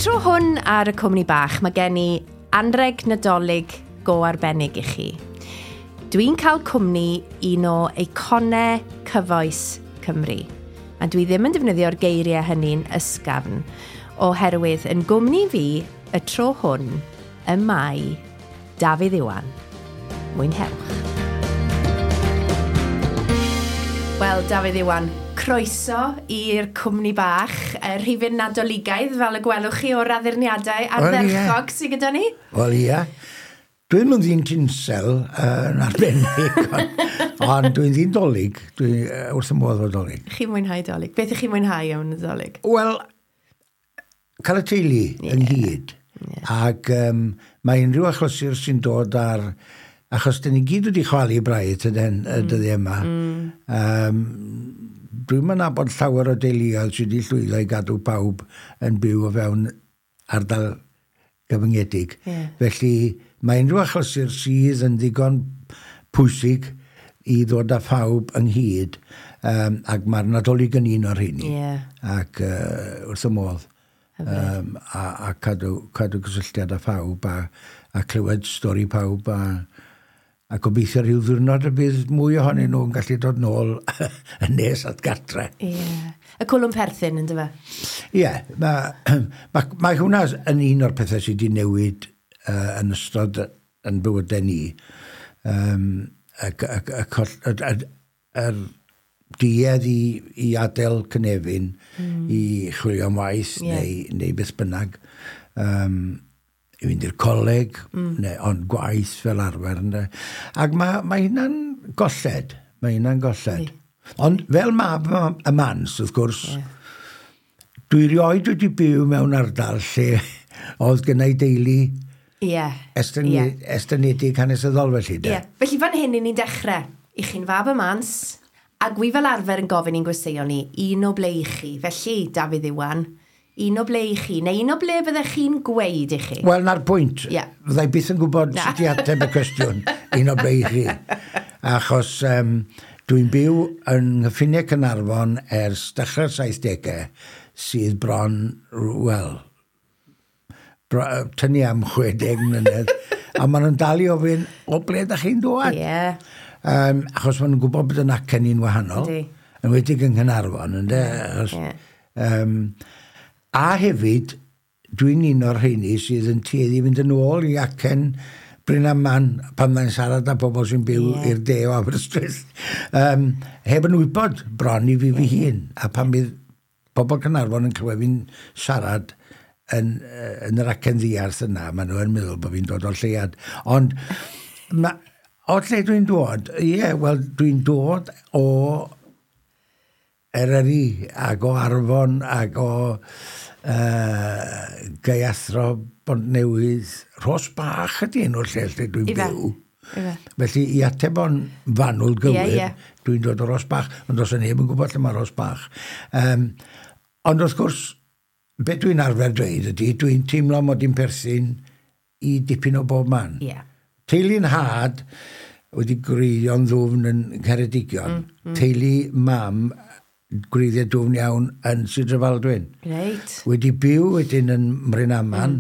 tro hwn ar y Cwmni Bach, mae gen i anreg Nadolig go arbennig i chi. Dwi'n cael cwmni un o eiconau cyfoes Cymru. A dwi ddim yn defnyddio'r geiriau hynny'n ysgafn, oherwydd yn gwmni fi y tro hwn y mae Dafydd Iwan. Mwynhewch. Wel, Dafydd Iwan, croeso i'r Cwmni Bach, y rhifyn Nadoligaidd, fel y gwelwch chi o'r addurniadau ardderchog sydd gyda ni. Wel, ia. Dwi'n mynd ddyn tinsel yn arbennig, ond dwi'n ddyn dolig. Dwi wrth y modd o dolig. Chi'n mwynhau dolig? Beth ych chi'n mwynhau am y dolig? Wel, cael y teulu ynghyd. Ac mae unrhyw achlysur sy'n dod ar... Achos dyn ni gyd wedi chwalu braidd y dyddiau yma. Dwi'm yn nabod llawer o deuluoedd sydd wedi llwyddo i gadw pawb yn byw o fewn ardal gyfyngedig. Felly mae unrhyw achlysur sydd yn ddigon pwysig i ddod â phawb ynghyd, ac mae'r Nadolig yn un o'r rheini. Ac wrth y modd. A cadw cysylltiad â phawb a clywed stori pawb a gobeithio rhyw ddiwrnod y bydd mwy ohonyn nhw yn gallu dod nôl yn nes at gartre. Ie. Y cwlwm perthyn, ynddo fe? Ie. Mae hwnna yn un o'r pethau sydd wedi newid yn ystod yn bywydau ni. Yr duedd i adael cynefin, i chwilio am waith neu beth bynnag. I fynd i'r coleg, neu, ond gwaith fel arfer. Ynde. Ac mae hynna'n golled. Mae hynna'n golled. Ond fel mab y mans, wrth gwrs, dwi rioed wedi byw mewn ardal lle oedd gynna i deulu estynedig hanesyddol felly. Ie. Felly fan hyn i ni'n dechrau. I chi'n fab y mans, ac wi fel arfer yn gofyn i'n gwesteion ni, un o ble i chi. Felly, Dafydd Iwan, un o ble i chi, neu un o ble fyddech chi'n gweud i chi? Wel, na'r pwynt. Fyddai byth yn gwybod sut i ateb y cwestiwn, un o ble i chi. Achos dwi'n byw yng nghyffiniau Caernarfon ers dechrau'r 70au, sydd bron, wel, tynnu am 60 mlynedd, a maen nhw'n dal i ofyn, o ble ydych chi'n dod? Achos maen nhw'n gwybod bod yn acen ni'n wahanol, yn enwedig yng Nghaernarfon, ynde? Achos, a hefyd, dwi'n un o'r rheini sydd yn tueddu i fynd yn ôl i acen Brynaman pan mae'n siarad â pobl sy'n byw i'r de o Aberystwyth. Heb yn wybod bron i fi fy hun. A pan bydd pobl Caernarfon yn clywed fi'n siarad yn yr acen ddiarth yna, maen nhw yn meddwl bod fi'n dod o'r lleuad. Ond o lle dwi'n dod? Ie, wel, dwi'n dod o Eryri ac o Arfon ac o Gaeathro, Bontnewydd, Rhos Bach ydy enw'r lle lle dwi'n byw. Felly i ateb o'n fanwl gywir, dwi'n dod o Rhos Bach, ond os neb yn gwybod lle mae Rhos Bach. Ond wrth gwrs, be dwi'n arfer dweud ydy, dwi'n teimlo mod i'n perthyn i dipyn o bob man. Teulu'n nhad wedi gwreiddio'n ddwfn yn Ngheredigion. Teulu mam gwreiddiau dwfn iawn yn Sir Drefaldwyn. Wedi byw wedyn yn Mrynaman,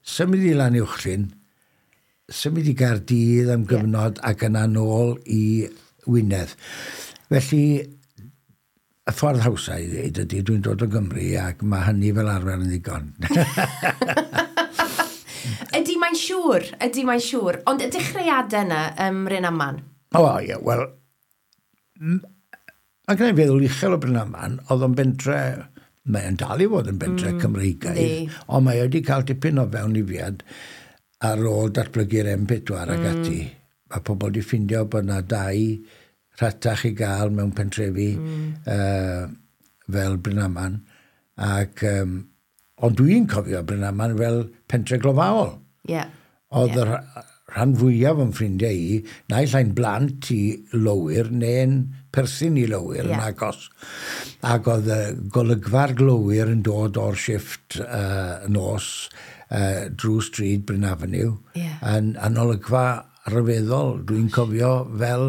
symud i Lanuwchllyn, symud i Gaerdydd am gyfnod ac yna nôl i Wynedd. Felly, y ffordd hawsa i ddweud ydy, dwi'n dod o Gymru ac mae hynny fel arfer yn ddigon. Ydy mae'n siŵr, ydy mae'n siŵr. Ond y dechreuadau yna ym Mrynaman? O, ie, wel, mae gen i feddwl uchel o Brynaman, oedd o'n bentre, mae'n dal i fod yn bentre Cymreigaidd, ond mae wedi cael dipyn o fewnlifiad ar ôl datblygu'r M4 ac ati. Mae pobl wedi ffindio bod yna dai rhatach i gael mewn pentrefi fel Brynaman. Ac, ond dwi'n cofio Brynaman fel pentre glofaol. Oedd y rhan fwyaf o'n ffrindiau i, naill ai'n blant i lowyr neu'n perthyn i lowyr yn agos. Ac oedd y golygfa'r glowyr yn dod o'r shifft nos drwy stryd Bryn Avenue yn olygfa rhyfeddol. Dwi'n cofio fel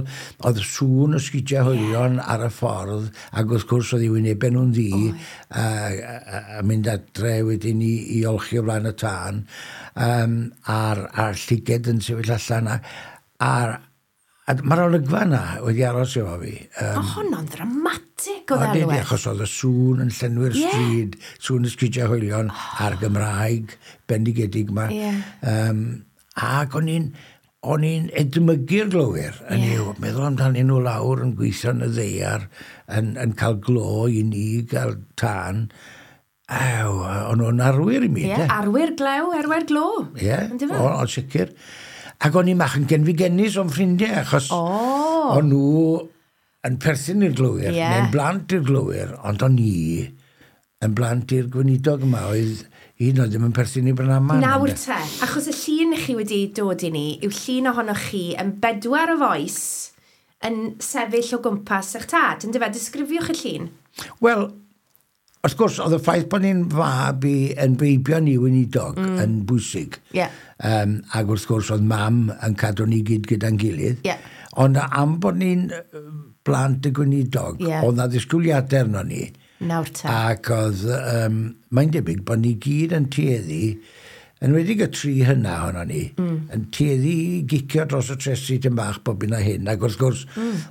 oedd sŵn y sgidiau hoelion ar y ffordd, ac wrth gwrs oedd i wynebau nhw'n ddu, a mynd adre wedyn i olchi o flaen y tân, a'r llyged yn sefyll allan, a mae'r olygfa yna wedi aros efo fi. O, honno'n ddramatig o ddelwedd. Achos oedd y sŵn yn llenwi'r stryd, sŵn y sgidiau hoelion a'r Gymraeg bendigedig yma. Ac o'n i'n edmygu'r glowyr, yn yw, meddwl amdanyn nhw lawr yn gweithio yn y ddaear, yn cael glo i ni, gael tân. Ew, o'n nhw'n arwyr i mi. Ie, arwyr glew, arwyr glo. Ie, o'n sicr. Ac o'n i'n mach yn genfigennus o'n ffrindiau, achos o'n nhw yn perthyn i'r glowyr, neu'n blant i'r glowyr, ond o'n i yn blant i'r gweinidog yma, oedd un oedd ddim yn perthyn i Brynaman. Nawr te, achos y llun chi wedi dod i ni yw llun ohonoch chi yn 4 o fois yn sefyll o gwmpas eich tad. Yndyfe, disgrifiwch y llun. Wel, wrth gwrs, oedd y ffaith bod ni'n fab i yn beibion i weinidog yn bwysig. Ac wrth gwrs, oedd mam yn cadw ni gyd gyda'n gilydd. Ond am bod ni'n blant y gweinidog, oedd na ddisgwyliadau arno ni. Nawr te. Ac oedd, mae'n debyg bod ni gyd yn tueddu, yn wedi y tri hynna ohono ni, yn tueddu i gicio dros y tresi tym bach bob un a hyn. Ac wrth gwrs,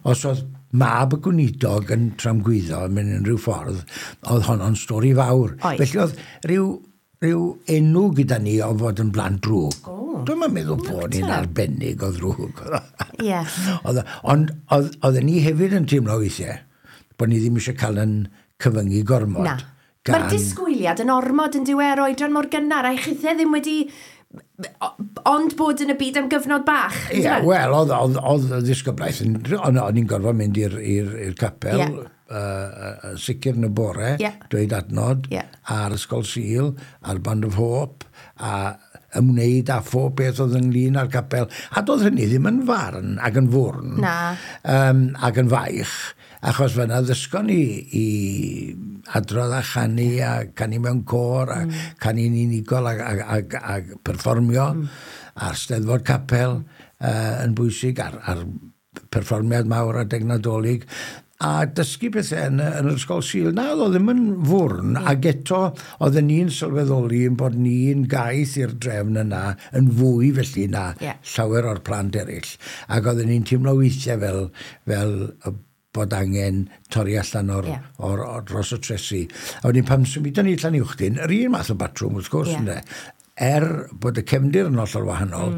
os oedd mab y gweinidog yn tramgwyddo mewn unrhyw ffordd, oedd honno'n stori fawr. Felly oedd rhyw enw gyda ni o fod yn blant drwg. Dwi'm yn meddwl bod ni'n arbennig o ddrwg. Ond oedden ni hefyd yn teimlo weithiau bod ni ddim eisiau cael yn cyfyngu gormod. Na. Mae'r disgwyliad yn ormod yn diwedd oedran mor gynnar, a chithau ddim wedi ond bod yn y byd am gyfnod bach. Ie, wel, oedd y ddisgyblaeth, o'n i'n gorfod mynd i'r capel, sicr yn y bore, dweud adnod, a'r Ysgol Sul, a'r Band of Hope, a ymwneud â phob beth oedd ynglyn â'r capel. A doedd hynny ddim yn farn ac yn fwrn. Na. Ac yn faich, achos fyna ddysgon ni i adrodd a chanu, a canu mewn côr, a canu'n unigol a perfformio, a'r Steddfod Capel yn bwysig, a'r perfformiad mawr adeg Nadolig, a dysgu pethau yn yr Ysgol Sul. Na, oedd o ddim yn fwrn, ac eto oedden ni'n sylweddoli yn bod ni'n gaeth i'r drefn yna yn fwy felly na llawer o'r plant eraill. Ac oedden ni'n teimlo weithiau fel bod angen torri allan o'r dros y tresi. A wedyn pan symudon ni Llanuwchllyn, yr un math o batrwm wrth gwrs, ynde, bod y cefndir yn hollol wahanol,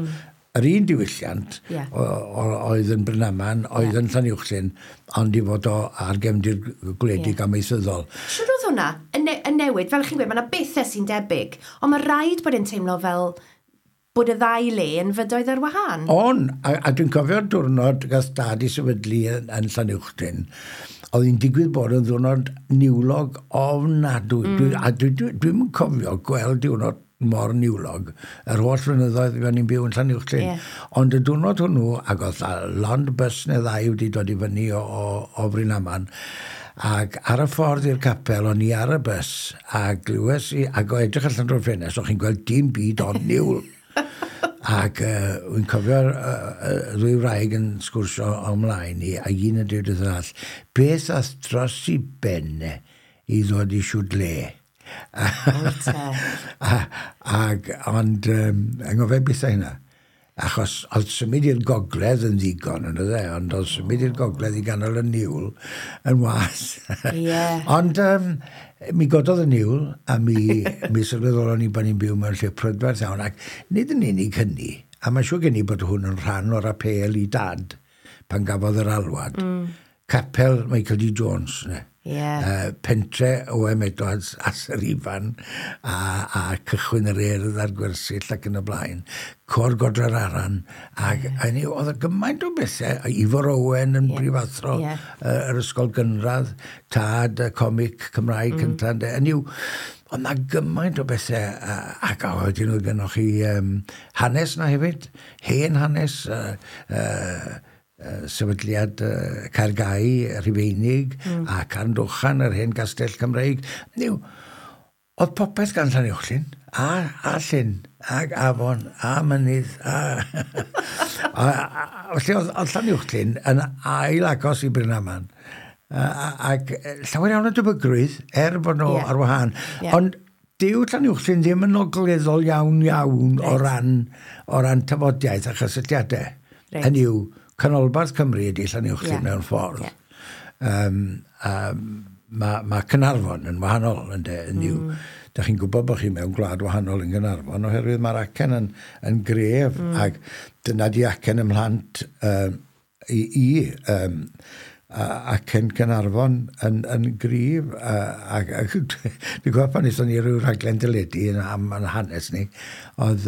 yr un diwylliant oedd yn Brynaman, oedd yn Llanuwchllyn, ond i fod o ar gefndir gwledig amaethyddol. Siwr oedd hwnna yn newid, fel chi'n gweud, mae yna bethau sy'n debyg, ond mae rhaid bod yn teimlo fel bod y ddau le yn fydoedd ar wahân. On, a dwi'n cofio'r diwrnod gath dad i sefydlu yn Llanuwchllyn, oedd hi'n digwydd bod yn ddiwrnod niwlog ofnadwy. A dwi'n cofio gweld diwrnod mor niwlog yr holl flynyddoedd fuon ni'n byw yn Llanuwchllyn. Ond y diwrnod hwnnw, ac oedd lond bus neu ddau wedi dod i fyny o Brynaman, ac ar y ffordd i'r capel, o'n i ar y bus, a glywes i, ac o edrych allan drwy'r ffenest, o'ch chi'n gweld dim byd ond niwl. Ac wy'n cofio'r ddwy wraig yn sgwrsio o mlaen i, a un yn dweud wrth yr arall, beth ath dros i ben i ddod i siwdle? Ac, ond, anghofio beth hynna. Achos oedd symud i'r gogledd yn ddigon, yn oedd e, ond oedd symud i'r gogledd i ganol y niwl yn wath. Ond mi gododd y niwl, a mi sylweddolon ni bod ni'n byw mewn lle prydferth iawn, ac nid yn unig hynny, a mae'n siŵr gen i bod hwn yn rhan o'r apêl i dad pan gafodd yr alwad. Capel Michael D. Jones, ne? Pentre O.M. Edwards a Sir Ifan a cychwyn yr Urdd a'r gwersyll ac yn y blaen, Côr Godre'r Aran, ac oedd y gymaint o bethau, Ifor Owen yn brifathro yr ysgol gynradd, tad y comic Cymraeg cyntaf, hynny yw, oedd na gymaint o bethau, ac wedyn oedd gennoch chi hanes na hefyd, hen hanes, sefydliad Caergau, Rhufeinig, a Carndochan, yr hen gastell Cymreig. Niw, Oedd popeth gan Llanuwchllyn, a llyn, ag afon, a mynydd, a... Felly oedd Llanuwchllyn yn ail agos i Brynaman. Ac llawer iawn o debygrwydd, er bod nhw ar wahân. Ond dyw Llanuwchllyn ddim yn ogleddol iawn iawn o ran tafodiaeth a chysylltiadau. Hynny yw, canolbarth Cymru ydy Llanuwchllyn mewn ffordd. Mae Caernarfon yn wahanol, ynde, yn yw. Da chi'n gwybod bod chi mewn gwlad wahanol yn Gaernarfon, oherwydd mae'r acen yn gref, ac dyna di acen ym mhlant acen Caernarfon yn gryf. Ac dwi'n gwybod pan wnaethon ni ryw raglen deledu am yn hanes ni, oedd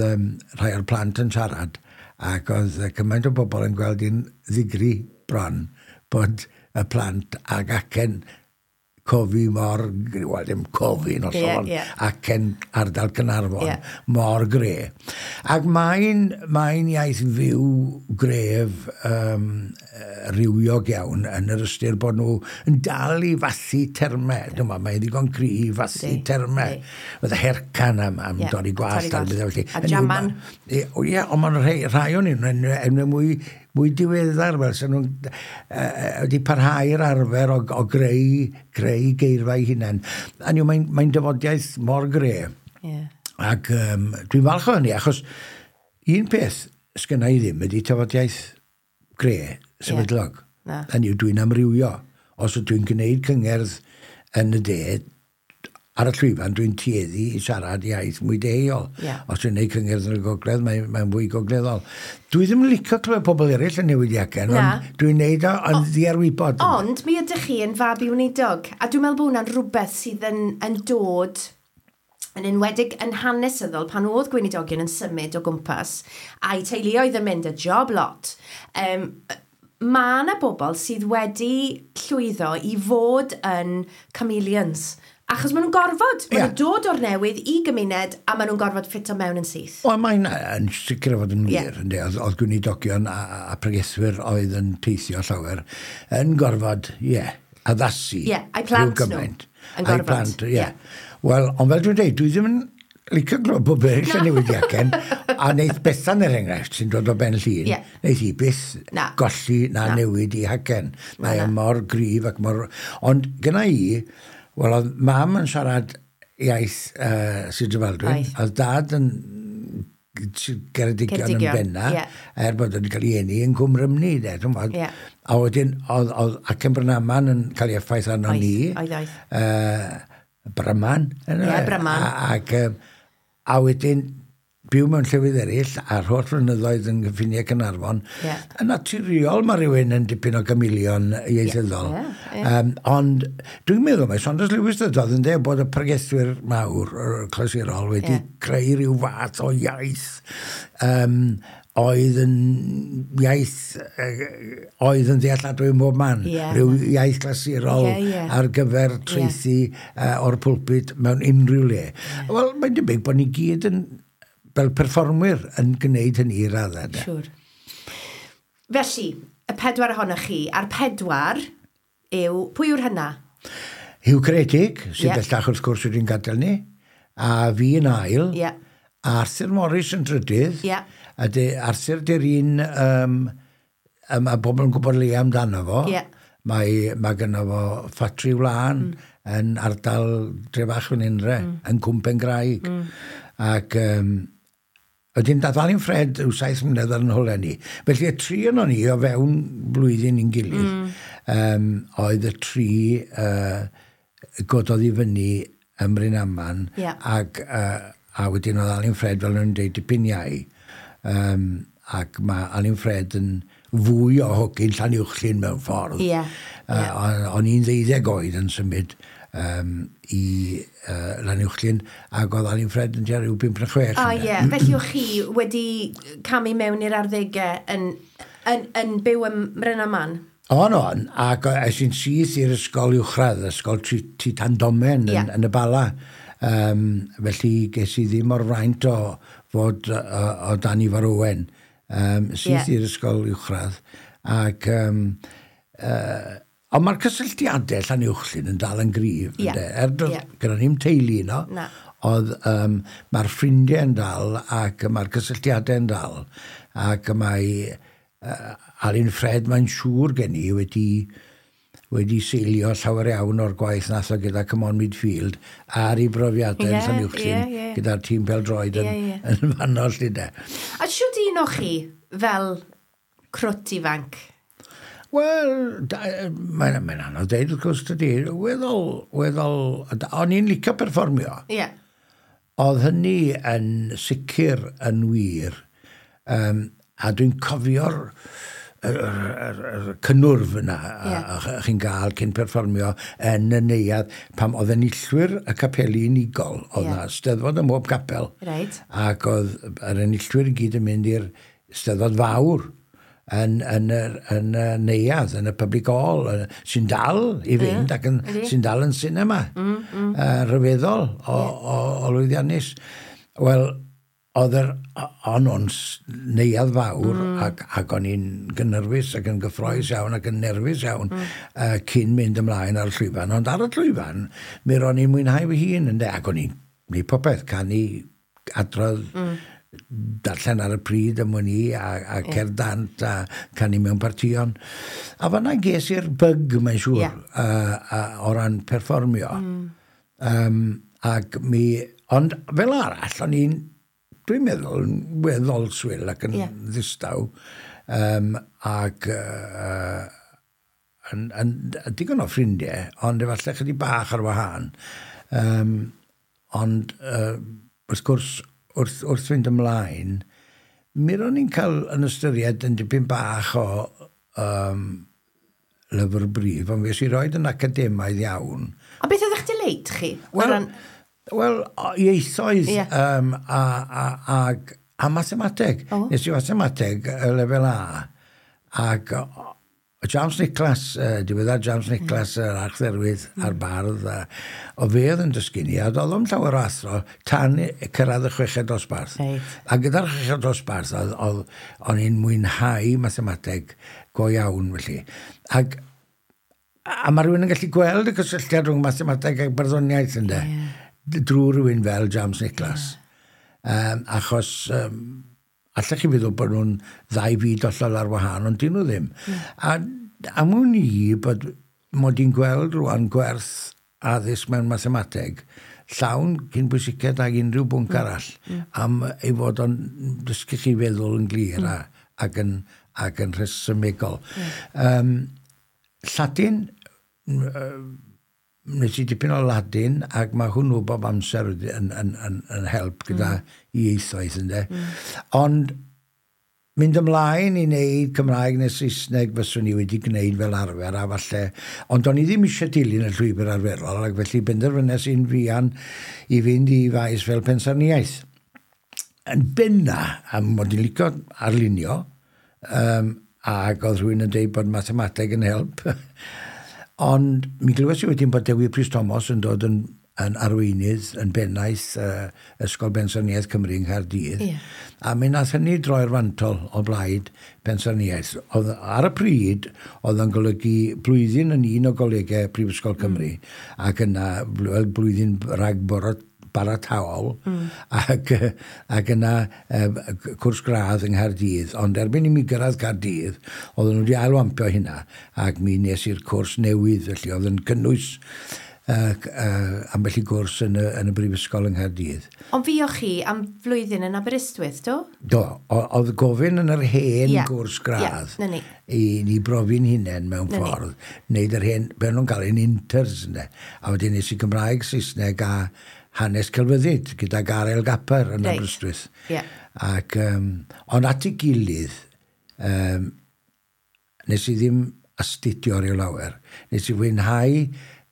rhai o'r plant yn siarad, ac oedd cymaint o bobl yn gweld hi'n ddigri bron bod y plant ag acen cofi mor, wel ddim cofi yn hollol, acen ardal Caernarfon mor gre. Ac mae'n iaith fyw gref rywiog iawn yn yr ystyr bod nhw yn dal i fathu termau. Dwi'n meddwl, mae'n ddigon cry i fathu termau. Fydde hercan am dorri gwallt. A jaman. Ie, ond mae'n rhai o'n enwau mwy diweddar, fel sy'n nhw'n wedi parhau'r arfer o greu geirfa eu hunain. A mae'n dyfodiaeth mor gre. Ac dwi'n falch o hynny, achos un peth sgynna i ddim ydy tafodiaeth gre, sefydlog. Hynny yw, dwi'n amrywio. Os ydw i'n gwneud cyngerdd yn y de, ar y llwyfan, dwi'n tueddu i siarad iaith mwy deheuol. Os dwi'n gwneud cyngerdd yn y gogledd, mae'n fwy gogleddol. Dwi ddim yn licio clywed pobl eraill yn newid acen, ond dwi'n gwneud o yn ddiarwybod. Ond mi ydych chi yn fab i weinidog, a dwi'n meddwl bod hwnna'n rhywbeth sydd yn dod yn enwedig yn hanesyddol pan oedd gweinidogion yn symud o gwmpas, a'i teuluoedd yn mynd y job lot. Mae yna bobl sydd wedi llwyddo i fod yn chameleons. Achos maen nhw'n gorfod, maen nhw'n dod o'r newydd i gymuned a maen nhw'n gorfod ffito mewn yn syth. Wel, mae'n yn sicr o fod yn wir, ynddi. Oedd gweinidogion a pregethwyr oedd yn teithio llawer yn gorfod, addasu. Ie, a'i plant nhw yn gorfod. A'i plant, ie. Wel, ond fel dwi'n dweud, dwi ddim yn licio glywed bod eraill yn newid acen, a wneith Bethan er enghraifft sy'n dod o Ben Llŷn, wneith hi byth golli na newid i hacen. Mae o mor gryf ac mor... Ond gyna i, wel, oedd mam yn siarad iaith Sir Drefaldwyn, oedd dad yn Ceredigion yn benna, er bod wedi cael ei eni yn Cwm Rhymni, de, ti'n gwbod. A wedyn, oedd acen Brynaman yn cael ei effaith arno ni. Oedd. Bryman. Ie, Bryman. A wedyn, byw mewn llefydd eraill, a'r holl flynyddoedd yn gyffiniau Caernarfon, yn naturiol mae rhywun yn dipyn o gamilion ieithyddol. Ond dwi'n meddwl mae Saunders Lewis ddydodd yn dweud bod y pregethwyr mawr, clasurol, wedi creu rhyw fath o iaith oedd yn iaith oedd yn ddealladwy ym mhob man. Rhyw iaith clasurol ar gyfer traethu o'r pulpit mewn unrhyw le. Wel, mae'n debyg bod ni gyd yn fel perfformwyr yn gwneud hynny i raddau. Siwr. Felly, y pedwar ohonoch chi, a'r pedwar yw, pwy yw'r hynna? Huw Ceredig, sydd bellach wrth gwrs wedi'n gadael ni, a fi yn ail, a Arthur Morris yn trydydd, a Arthur di'r un, mae bobl yn gwybod le amdano fo, mae gynno fo ffatri wlân yn ardal Drefach fan Unre, yn Cwm Pengraig. Ac wedyn dath Alun Ffred yw 7 mlynedd ar yn holau ni. Felly y tri onon ni o fewn blwyddyn i'n gilydd, oedd y tri gododd i fyny ym Mrynaman, ac a wedyn oedd Alun Ffred, fel nhw'n dweud, dipyn iau. Ac mae Alun Ffred yn fwy o hogyn Llanuwchllyn mewn ffordd. O'n i'n 12 oed yn symud i Llanuwchllyn, ac oedd Alun Ffred yn tua rhyw 5 neu 6. O ie, felly o'ch chi wedi camu mewn i'r arddegau yn byw ym Mrynaman? O'n, ac es i'n syth i'r ysgol uwchradd, ysgol Titandomen yn y Bala. Felly ges i ddim o'r fraint o fod o dan Ifor Owen, syth i'r ysgol uwchradd. Ac Ond mae'r cysylltiadau Llanuwchllyn yn dal yn gryf. Yeah. Er gyda ni'n teulu yno, oedd mae'r ffrindiau yn dal ac mae'r cysylltiadau yn dal. Ac mae Alun Ffred, mae'n siŵr gen i, wedi seilio llawer iawn o'r gwaith nath o gyda Come On Midfield ar ei brofiadau yn Llanuwchllyn gyda'r tîm pêl-droed yn fanno 'lly de. A shwd un o chi fel crwt ifanc? Wel, mae'n anodd deud wrth gwrs dydy. Weddol, o'n i'n licio perfformio. Oedd hynny yn sicr yn wir. A dwi'n cofio'r yr cynnwrf yna a chi'n gael cyn perfformio yn y neuadd pam oedd enillwyr y capeli unigol. Oedd 'na steddfod ym mhob capel. Ac oedd yr enillwyr i gyd yn mynd i'r steddfod fawr yn y neuadd, yn y public hall, sy'n dal i fynd ac sy'n dal yn cinema. Rhyfeddol o lwyddiannus. Wel, oedd o'n o'n neuadd fawr ac o'n i'n gynhyrfus ac yn gyffrous iawn ac yn nerfus iawn cyn mynd ymlaen ar y llwyfan. Ond ar y llwyfan, mi ro'n i'n mwynhau fy hun, ynde, ac o'n i'n gwneud popeth, canu, adrodd, darllen ar y pryd am wn i, a cerdd dant a canu mewn partïon. A fan'na ges i'r bug, mae'n siŵr, o ran perfformio. Ac mi... Ond fel arall, o'n i'n, dwi'n meddwl, yn weddol swil ac yn ddistaw. Ac yn digon o ffrindiau, ond efallai chydig bach ar wahân. Ond wrth gwrs, wrth fynd ymlaen, mi ro'n i'n cael yn ystyried yn dipyn bach o lyfr brif, ond fues i roed yn academaidd iawn. A beth oedd eich delight chi? Wel, ieithoedd a mathemateg. Nes i mathemateg y lefel A. Ac James Nicholas, diweddar James Nicholas, yr archdderwydd a'r bardd, o fe oedd yn dysgu ni, a doedd o'm llawer o athro tan cyrraedd y chweched dosbarth. A gyda'r chweched dosbarth, o'n i'n mwynhau mathemateg go iawn, felly. Ac, a mae rhywun yn gallu gweld y cysylltiad rhwng mathemateg ac barddoniaeth, ynde? Drwy rhywun fel James Nicholas. Achos allech chi feddwl bod nhw'n ddau fyd hollol ar wahân, ond dyn nhw ddim. A am wn i bod mod i'n gweld rwan gwerth addysg mewn mathemateg llawn cyn bwysiced ag unrhyw bwnc arall, am ei fod o'n dysgu chi feddwl yn glir ac yn rhesymegol. Lladin, nes i dipyn o Ladin, ac mae hwnnw bob amser yn help gyda ieithoedd, ynde. Ond mynd ymlaen i wneud Cymraeg neu Saesneg fyswn i wedi gwneud fel arfer, a falle, ond o'n i ddim eisiau dilyn y llwybr arferol, ac felly benderfynes i'n fuan i fynd i faes fel pensaernïaeth. Yn benna, am mod i'n licio arlunio, ac oedd rhywun yn dweud bod mathemateg yn help. Ond mi glywes i wedyn bod Dewi Prys Thomas yn dod yn arweinydd, yn bennaeth Ysgol Bensaernïaeth Cymru yng Nghaerdydd. A mi nath hynny droi'r fantol o blaid pensaernïaeth. Oedd, ar y pryd, oedd yn golygu blwyddyn yn un o golegau Prifysgol Cymru, ac yna blwyddyn ragbarataol, ac yna cwrs gradd yng Nghaerdydd. Ond erbyn i mi gyrraedd Caerdydd, oedden nhw wedi ailwampio hynna, ac mi nes i'r cwrs newydd, felly oedd yn cynnwys ambell i gwrs yn y Brifysgol yng Nghaerdydd. Ond fuoch chi am flwyddyn yn Aberystwyth, do? Do, oedd gofyn yn yr hen gwrs gradd i ni brofi'n hunain mewn ffordd, wneud yr hen, be nhw'n cael ein inters, ynde. A wedyn nes i Gymraeg, Saesneg a hanes celfyddyd gyda Garel Gapper yn Aberystwyth. Ac, ond at ei gilydd, nes i ddim astudio rhyw lawer. Nes i fwynhau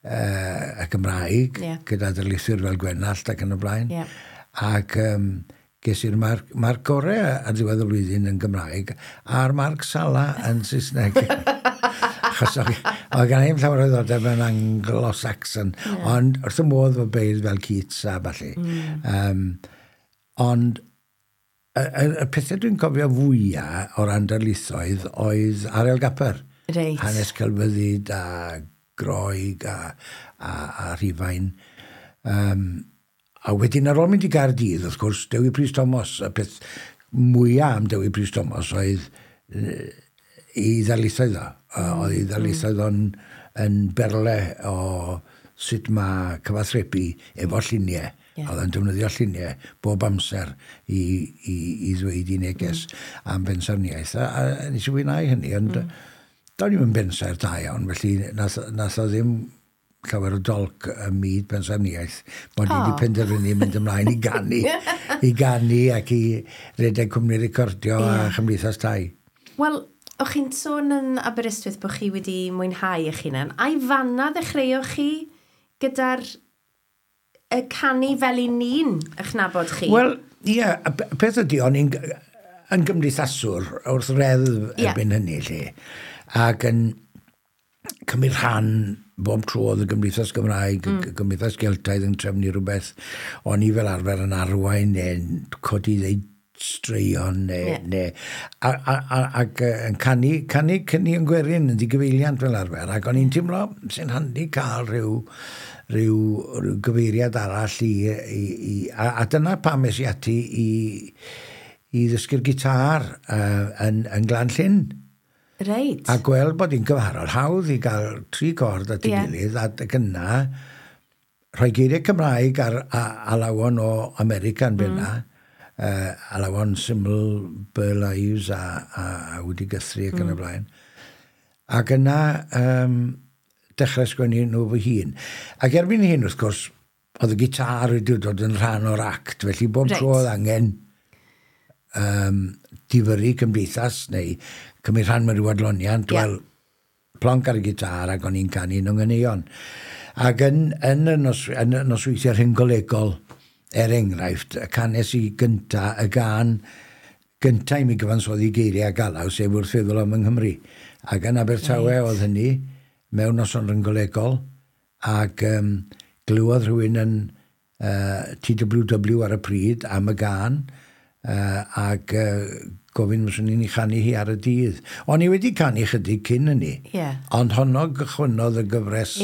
y Gymraeg gyda darlithwyr fel Gwenallt ac yn y blaen. Ac ges i'r marc gorau ar ddiwedd y flwyddyn yn Gymraeg a'r marc sala yn Saesneg. Achos oedd gen i'm llawer o ddiddordeb mewn Anglo-Saxon, ond wrth y modd fo beirdd fel Keats a ballu. Ond y pethau dwi'n cofio fwyaf o ran darlithoedd oedd Ariel Gapper. Reit. Hanes celfyddyd a Groeg a Rhufain. A wedyn ar ôl mynd i Gaerdydd, wrth gwrs, Dewi Prys Thomas, y peth mwyaf am Dewi Prys Thomas oedd ei ddarlithoedd o. Oedd ei ddarlithoedd o'n yn berle o sut mae cyfathrebu efo lluniau. Oedd o'n defnyddio lluniau bob amser i ddweud i neges am bensaerniaeth. A nes i fwynhau hynny, ond do'n i'm yn bensaer da iawn, felly nath o ddim llawer o dolc ym myd pensaerniaeth, bod i wedi penderfynu mynd ymlaen i ganu ac i redeg cwmni recordio a chymdeithas tai. Wel, o'ch chi'n sôn yn Aberystwyth bod chi wedi mwynhau eich hunan. Ai fanna ddechreuoch chi gyda'r y canu fel i ni'n eich nabod chi? Wel, ie, yeah, peth ydy, o'n i'n yn gymdeithaswr wrth reddf erbyn hynny, lle, ac yn cymryd rhan bob tro oedd y Gymdeithas Gymraeg, y Gymdeithas Geltaidd yn trefnu rhywbeth, o'n i fel arfer yn arwain neu'n codi ddeud straeon neu, neu ac yn canu caneuon gwerin yn ddigyfeiliant fel arfer, ac o'n i'n teimlo sy'n handi cael rhyw gyfeiriad arall i, a dyna pam es i ati i ddysgu'r gitar yn Glan Llyn. A gweld bod hi'n gymharol hawdd i gael tri cord at ei gilydd, a yna rhoi geiriau Cymraeg ar alawon o America yn benna, alawon syml Burl Ives a Woody Guthrie ac yn y blaen. Ac yna dechrau sgwennu nhw fy hun. Ac erbyn hyn, wrth gwrs, oedd y gitar wedi dod yn rhan o'r act, felly bob tro oedd angen difyrru cymdeithas neu cymryd rhan mewn rhyw adloniant, wel, plonc ar y gitar ac o'n i'n canu nhw'n ganeuon. Ac yn y nosweithiau rhynggolegol, er enghraifft, y canes i gynta, y gân gynta i mi gyfansoddi geiriau ac alaw, sef "Wrth Feddwl am yng Nghymru". Ac yn Abertawe oedd hynny, mewn noson rhynggolegol, ac glywodd rhywun yn TWW ar y pryd am y gân, ac gofyn fyswn i'n ei chanu hi ar y dydd. O'n i wedi canu chydig cyn hynny, ond honno gychwynnodd y gyfres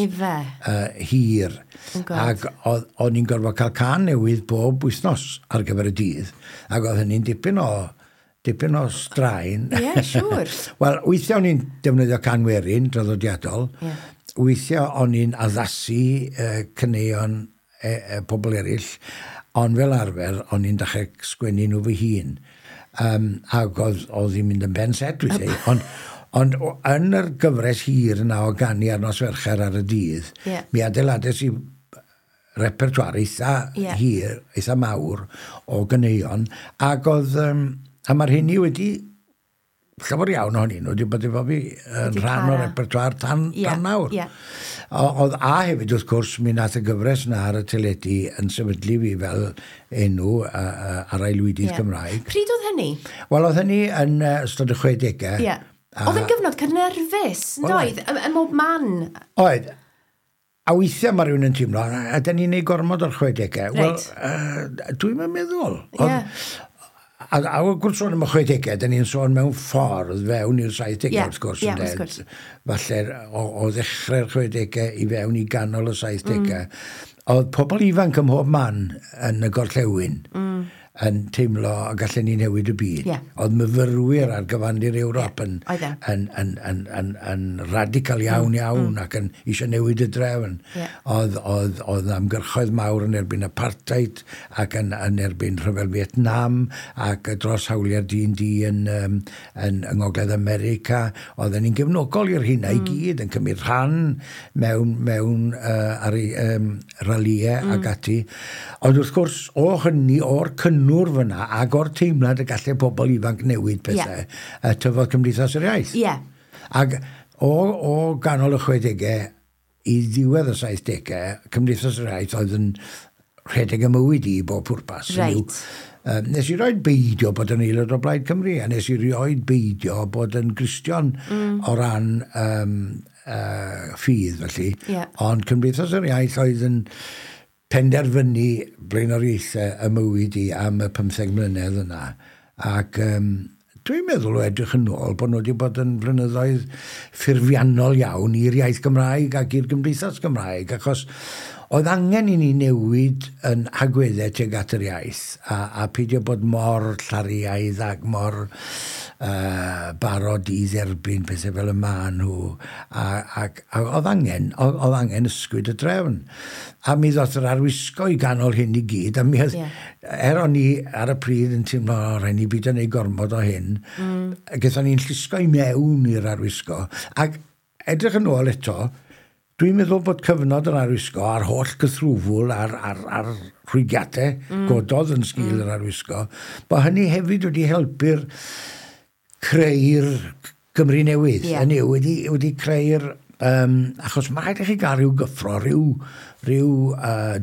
hir. Oh God. Ac o'n i'n gorfod cael cân newydd bob wythnos ar gyfer y dydd. Ac oedd hynny'n dipyn o straen. Ie, siŵr. Wel, weithiau o'n i'n defnyddio cân werin draddodiadol. Weithiau o'n i'n addasu caneuon pobl eraill, ond fel arfer, o'n i'n dechrau sgwennu nhw fy hun. Ac oedd hi'n mynd yn ben set weithiau. Ond yn yr gyfres hir yna o ganu ar nos Fercher ar y dydd, mi adeilades i repertoire eitha hir, eitha mawr o ganeuon, ac oedd, a mae'r hynny wedi, llawer iawn ohonyn nhw wedi bod efo fi yn Wedi rhan o'r para. repertoire tan nawr. Oedd a hefyd, wrth gwrs, mi nath y gyfres na ar y teledu yn sefydlu fi fel enw ar aelwydydd Cymraeg. Pryd oedd hynny? Wel, oedd hynny yn ystod y 60au. Oedd yn gyfnod cynnerfus, yn Wel, doedd? Ym mhob man. Oedd. A weithiau mae rhywun yn teimlo, a da ni'n neud gormod o'r 60au. Wel, dwi'n meddwl. A wrth gwrs sôn am y 60au, da ni'n sôn mewn ffordd fewn i'r 70au, wrth gwrs. Ie, ynde? wrth gwrs. Falle o ddechrau'r 60au i fewn i ganol y 70au. Oedd pobl ifanc ym mhob man yn y gorllewin yn teimlo y gallen ni newid y byd. Oedd myfyrwyr ar gyfandir Ewrop yn, Oedd e. yn radical iawn iawn ac yn eisiau newid y drefn. Oedd ymgyrchoedd mawr yn erbyn apartheid ac yn erbyn rhyfel Vietnam ac dros hawliau'r dyn du yn Ngogledd America. Oedden ni'n gefnogol i'r hynna i gyd yn cymryd rhan mewn ar ei ralïau ac ati. Ond wrth gwrs, o hynny, o'r cynnwrf fyna ac o'r teimlad y gallai pobl ifanc newid pethau, tyfodd Cymdeithas yr Iaith. Ac o ganol y 60au i ddiwedd y 70au, Cymdeithas yr Iaith oedd yn rhedeg y mywyd i bob pwrpas. Hynny yw, nes i roed beidio bod yn aelod o Blaid Cymru, a nes i rioed beidio bod yn Gristion o ran ffydd, felly. Ond Cymdeithas yr Iaith oedd yn penderfynu blaenoriaethau y mywyd i am y 15 mlynedd yna. Ac dwi'n Dwi'n meddwl o edrych yn ôl bod nhw wedi bod yn flynyddoedd ffurfiannol iawn i'r iaith Gymraeg ac i'r gymdeithas Gymraeg, achos oedd angen i ni newid yn hagweddau tuag at yr iaith a peidio bod mor llariaidd ac mor barod i dderbyn pethau fel y maen nhw. A oedd angen ysgwyd y drefn. A mi ddoth yr arwisgo i ganol hyn i gyd, a mi oedd, er o'n i ar y pryd yn teimlo, o, rhaid ni beidio wneud gormod o hyn, gaethon ni'n llusgo i mewn i'r arwisgo. Ac edrych yn ôl eto, dwi'n meddwl bod cyfnod yr arwisgo a'r holl gythrwfwl a'r rhwygiadau gododd yn sgil yr arwisgo, bod hynny hefyd wedi helpu'r creu'r Gymru newydd. Hynny yw, wedi creu'r... achos mae rhaid i chi gael rhyw gyffro, rhyw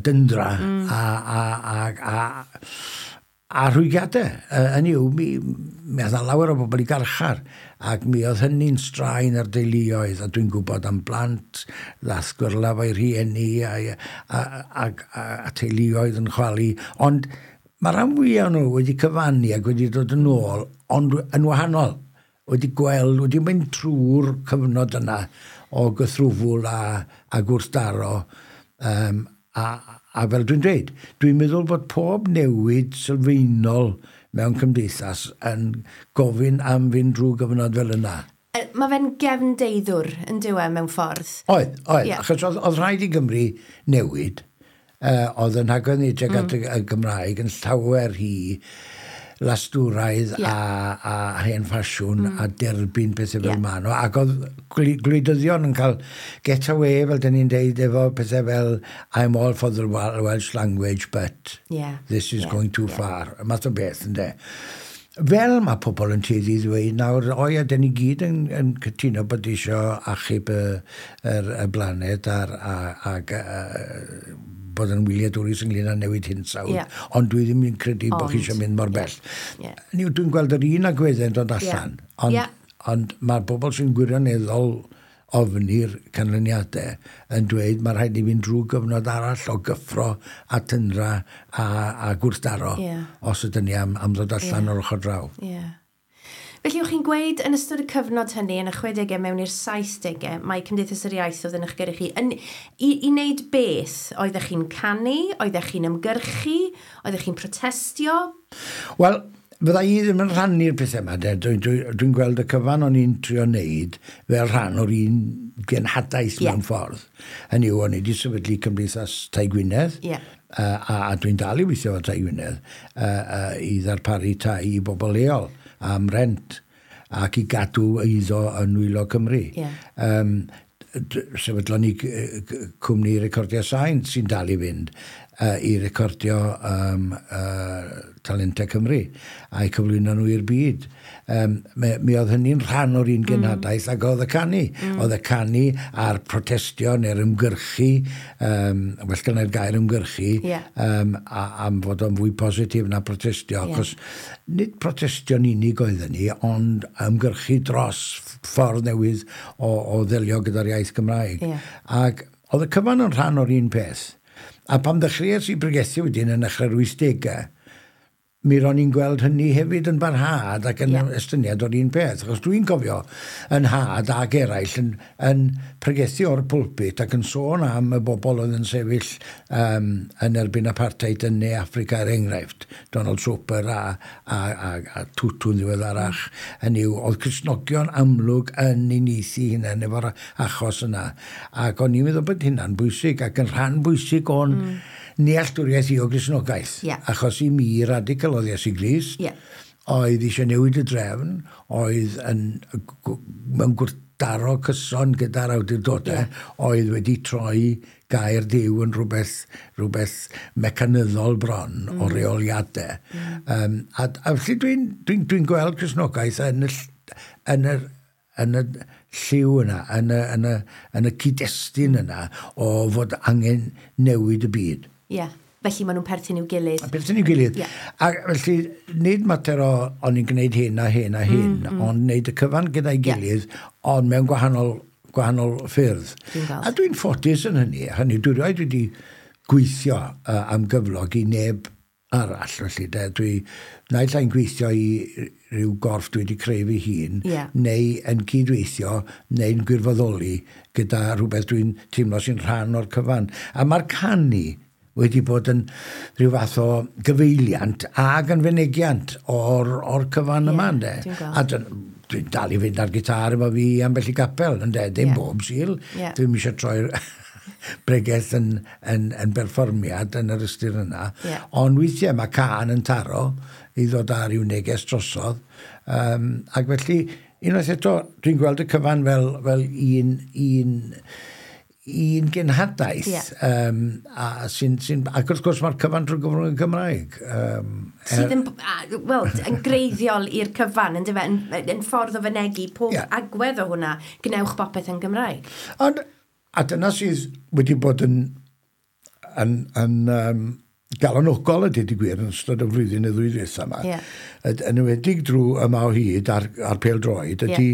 dyndra a rhwygiadau. Hynny yw, mi oedd 'na lawer o bobl i garchar, ac mi oedd hynny'n straen ar deuluoedd, a dwi'n gwybod am blant ddath gwyrlaf o'i rhieni a teuluoedd yn chwalu. Ond mae rhan fwyaf nhw wedi cyfannu ac wedi dod yn ôl, ond yn wahanol. Wedi gweld, wedi mynd trwy'r cyfnod yna o gythrwfwl a gwrthdaro. A fel dwi'n dweud, dwi'n meddwl bod pob newid sylfaenol mewn cymdeithas yn gofyn am fynd drwy gyfnod fel yna. Mae fe'n gefndeiddwr yn dyw e mewn ffordd. Oedd, achos oedd rhaid i Gymru newid. Oedd yn hagwedd ni tuag at y Gymraeg yn llawer rhy lastwraidd a hen ffasiwn a derbyn pethau fel maen nhw. Ac oedd gwleidyddion yn cael get away, fel dyn ni'n deud, efo pethau fel "I'm all for the Welsh language, but this is going too far." Y math o beth, ynde. Fel mae pobl yn tueddu i ddweud nawr, o ia, dyn ni gyd yn cytuno bod eisiau achub y blaned ag bod yn wyliadwrus ynglyn â newid hinsawdd, ond dwi ddim yn credu bod chi eisiau mynd mor bell. Ni, dwi'n gweld yr un agweddau'n dod allan, ond, ond mae'r bobl sy'n gwirioneddol ofni'r canlyniadau yn dweud mae rhaid i fynd drwy gyfnod arall o gyffro a tyndra a gwrthdaro os ydyn ni am ddod allan o'r ochr draw. Felly, o'ch chi'n gweud yn ystod y cyfnod hynny, yn y 60au mewn i'r 70au, mae Cymdeithas yr Iaith oedd yn eich gyrru chi. I wneud beth? Oeddech chi'n canu? Oeddech chi'n ymgyrchu? Oeddech chi'n protestio? Wel, fydda i ddim yn rhannu'r pethau yma. Dwi'n dwi gweld y cyfan o'n i'n trio wneud fel rhan o'r un genhadaeth mewn ffordd. Hynny yw, o'n i wedi sefydlu Cymdeithas Tai Gwynedd, a dwi'n dal i weithio efo Tai Gwynedd, i ddarparu tai i bobl leol am rent ac i gadw eiddo yn nwylo Cymru. Sefydlon ni cwmni recordio sain sy'n dal i fynd i recordio talentau Cymru a'i cyflwyno nhw i'r byd. Mi oedd hynny'n rhan o'r un genhadaeth ac oedd y canu. Oedd y canu a'r protestio neu'r ymgyrchu, well gynna'r gair ymgyrchu, am fod o'n fwy positif na protestio. Achos nid protestio'n unig oedden ni, ond ymgyrchu dros ffordd newydd o ddelio gyda'r iaith Gymraeg. Ac oedd y cyfan yn rhan o'r un peth. A pan ddechreuais i bregethu wedyn yn dechrau'r 80au, mi ro'n i'n gweld hynny hefyd yn barhad ac yn estyniad o'r un peth. Achos dwi'n cofio yn nhad ac eraill yn pregethu o'r pulpit ac yn sôn am y bobl oedd yn sefyll yn erbyn apartheid yn Ne Affrica, er enghraifft. Donald Soper a Tutu'n ddiweddarach. Hynny yw, oedd Cristnogion amlwg yn uniaethu hunain efo'r achos yna. Ac o'n i'n meddwl bod hynna'n bwysig ac yn rhan bwysig o'n nealltwriaeth i o Gristnogaeth. Achos i mi, radical oedd Iesu Grist, oedd eisiau newid y drefn, oedd mewn gwrthdaro cyson gyda'r awdurdodau, oedd wedi troi gair Duw yn rhywbeth mecanyddol bron o reoliadau. A felly dwi gweld Cristnogaeth yn y lliw yna, yn y cyd-destun yna o fod angen newid y byd. Ie. Yeah. Felly maen nhw'n perthyn i'w gilydd. Perthyn i'w gilydd. A felly, nid mater o o'n i'n gwneud hyn a hyn a hyn, ond wneud y cyfan gyda'i gilydd, ond mewn gwahanol ffyrdd. Dwi'n gweld. A dwi'n ffodus yn hynny. Hynny, dwi rioed wedi gweithio am gyflog i neb arall, felly, de. Dwi naill ai'n gweithio i ryw gorff dwi wedi creu fy hun, neu yn cydweithio, neu'n gwirfoddoli gyda rhywbeth dwi'n teimlo sy'n rhan o'r cyfan. A mae'r canu wedi bod yn rhyw fath o gyfeiliant ag yn fynegiant o'r cyfan yma, ynde. A dwi'n dal i fynd ar gitar efo fi ambell i gapel, ynde, dim bob Sul. Dwi'm eisiau troi'r bregeth yn berfformiad yn yr ystyr yna. Ond weithiau mae cân yn taro i ddod â rhyw neges drosodd. Ac felly, unwaith eto, dwi'n gweld y cyfan fel un genhadaeth. Ac wrth gwrs mae'r cyfan drwy gyfrwng y Gymraeg. Sydd yn, wel, yn greiddiol i'r cyfan, yn dyfe, yn ffordd o fynegi pob agwedd o hwnna, gwnewch bopeth yn Gymraeg. Ond, a dyna sydd wedi bod yn galonogol a dweud y gwir yn ystod y flwyddyn neu ddwy ddwytha yma. Yn enwedig drwy Yma o Hyd ar pêl-droed, ydy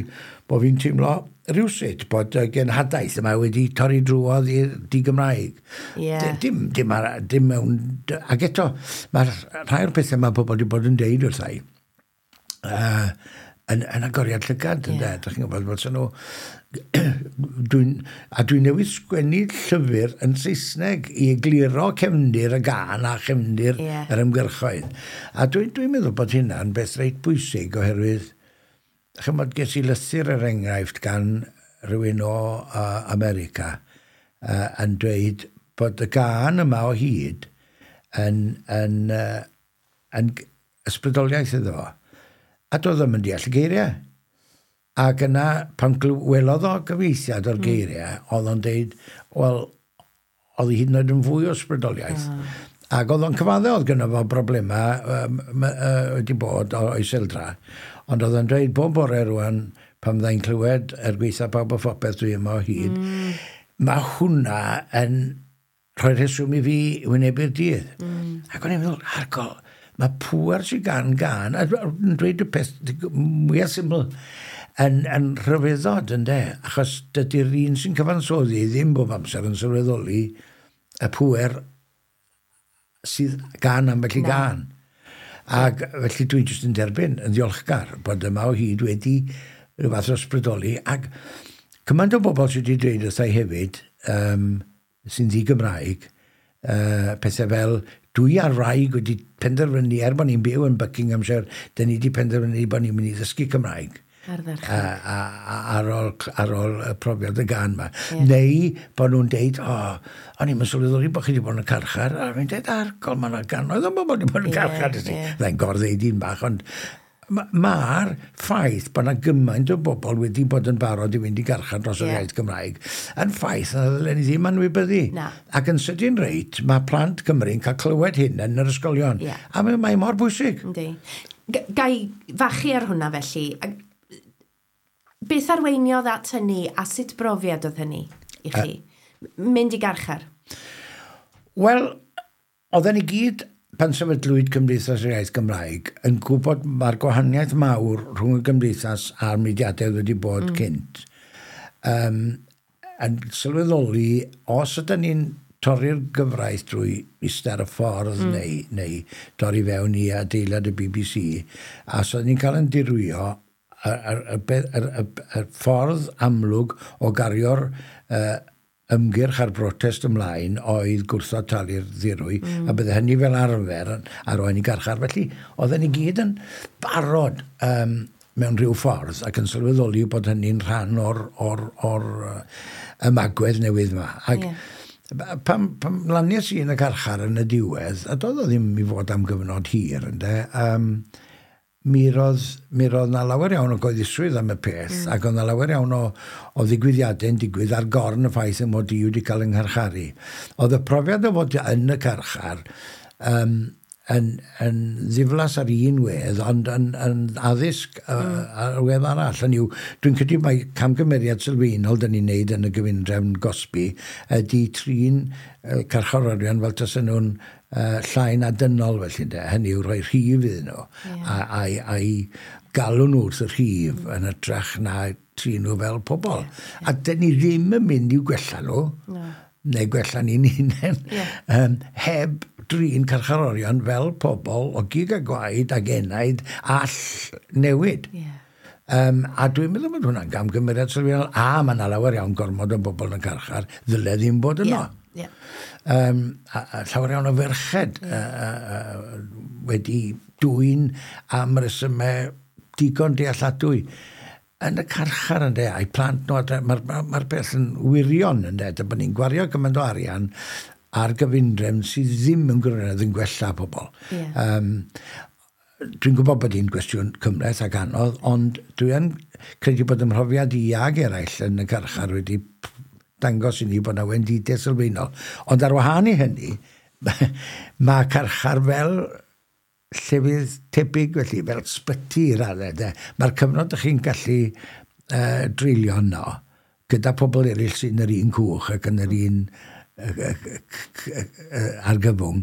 bod fi'n teimlo rhywsut bod y genhadaeth yma wedi torri drwodd i'r di-Gymraeg. Dim mewn. Ac eto, mae'r rhai o'r pethau mae pobl wedi bod yn deud wrtha i yn agoriad llygad, ynde? Dych chi'n gwybod, fel nhw. A dwi'n newydd sgwennu llyfr yn Saesneg i egluro cefndir y gân a chefndir yr ymgyrchoedd. A dwi meddwl bod hynna'n beth reit bwysig oherwydd, chymod, ges i lythyr er enghraifft gan rhywun o America yn dweud bod y gân Yma o Hyd yn ysbrydoliaeth iddo fo. A doedd ddim yn deall y geiriau. Ac yna, pan welodd o gyfieithiad o'r geiriau, oedd o'n deud, wel, oedd hi hyd yn oed yn fwy o ysbrydoliaeth. Ac oedd o'n cyfadde oedd gynno fo broblemau wedi bod o iseldra. Ond oedd o'n dweud bob bore rwan, pan fyddai'n clywed "er gweitha pawb a phopeth dwi yma o hyd", mae hwnna yn rhoi rheswm i fi wynebu'r dydd. Ac o'n i'n meddwl, argol, mae pŵer sydd gan gân, a yn dweud y peth mwyaf syml, yn rhyfeddod, ynde? Achos dydy'r un sy'n cyfansoddi ddim bob amser yn sylweddoli y pŵer sydd gan ambell i Na. gân. Ac felly dwi jyst yn derbyn yn ddiolchgar bod Yma o Hyd wedi rhyw fath o ysbrydoli. Ac cymaint o bobl sydd wedi dweud wrtha i hefyd, sy'n ddi-Gymraeg, pethau fel, dwi a'r wraig wedi penderfynu, er bod ni'n byw yn Buckinghamshire, dyn ni wedi penderfynu bod ni'n mynd i ddysgu Cymraeg. Ardderchog. A ar ôl y profiad y gân ma. Neu bod nhw'n deud, "O, o'n i'n sylweddoli bod chi wedi bod yn y carchar," a fi'n deud, "Argol, mae yna gannoedd o bobl wedi bod yn y carchar." Fyddai'n gor-ddeud un bach, ond mae'r ffaith bod yna gymaint o bobl wedi bod yn barod i fynd i garchar dros yr iaith Gymraeg yn ffaith na ddylen ni ddim anwybyddu. Na. Ac yn sydyn reit, mae plant Cymru'n cael clywed hyn yn yr ysgolion. A mae mor bwysig. Yndi. Gai fachu ar hwnna felly? Beth arweiniodd at hynny a sut brofiad oedd hynny i chi? Mynd i garchar? Wel, oedden ni gyd, pan sefydlwyd Cymdeithas yr Iaith Gymraeg, yn gwybod mae'r gwahaniaeth mawr rhwng y gymdeithas a'r mudiadau wedi bod cynt. Yn sylweddoli, os ydyn ni'n torri'r gyfraith drwy eistedd ar y ffordd neu dorri fewn i adeilad y BBC, a os ydyn ni'n cael yn dirwyo, y ffordd amlwg o gario'r ymgyrch a'r brotest ymlaen oedd gwrthod talu'r ddirwy, a bydde hynny fel arfer yn arwain i garchar. Felly, oedden ni gyd yn barod mewn rhyw ffordd ac yn sylweddoli bod hynny'n rhan o'r ymagwedd newydd yma. Ac pan lanies i yn y carchar yn y diwedd, a doedd o ddim i fod am gyfnod hir, ynde, mi roedd na lawer iawn o gyhoeddusrwydd am y peth, ac oedd na lawer iawn o ddigwyddiadau'n digwydd ar gorn y ffaith y mod i wedi cael yng ngharcharu. Oedd y profiad o fod yn y carchar yn ddiflas ar un wedd, ond yn addysg ar wedd arall. Hynny yw, dwi'n credu mai camgymeriad sylfaenol dyn ni'n neud yn y gyfundrefn gosbi ydy trin carcharorion fel tasen nhw'n llai na dynol felly, de. Hynny yw rhoi rhif iddyn nhw a galw nhw wrth y rhif yn hytrach na trin nhw fel pobl. A dyn ni ddim yn mynd i'w gwella nhw, No. neu gwella ni'n hunain, heb drin carcharorion fel pobl o gig a gwaed ag enaid all newid. A dwi'n meddwl bod hwnna'n gamgymeriad sylfaenol. A mae yna lawer iawn gormod o bobl yn y carchar, ddyle ddim bod yno. A llawer iawn o ferched wedi dwyn am resymau digon dealladwy yn y carchar, ynde, a'i plant nhw, mae'r ma peth yn wirion, ynde, da bod ni'n gwario gymaint o arian ar gyfundrefn sydd ddim yn gwirionedd yn gwella pobl. Dwi'n gwybod bod hi'n gwestiwn cymhleth ac anodd, ond dwi yn credu bod ymhrofiad i ag eraill yn y carchar wedi dangos i ni bod yna wendidau sylfaenol. Ond ar wahân i hynny, mae carchar fel llefydd tebyg felly, fel sbyty i raddau, de. Mae'r cyfnod ydych chi'n gallu dreulio yno gyda pobl eraill sy'n yr un cwch ac yn yr un argyfwng,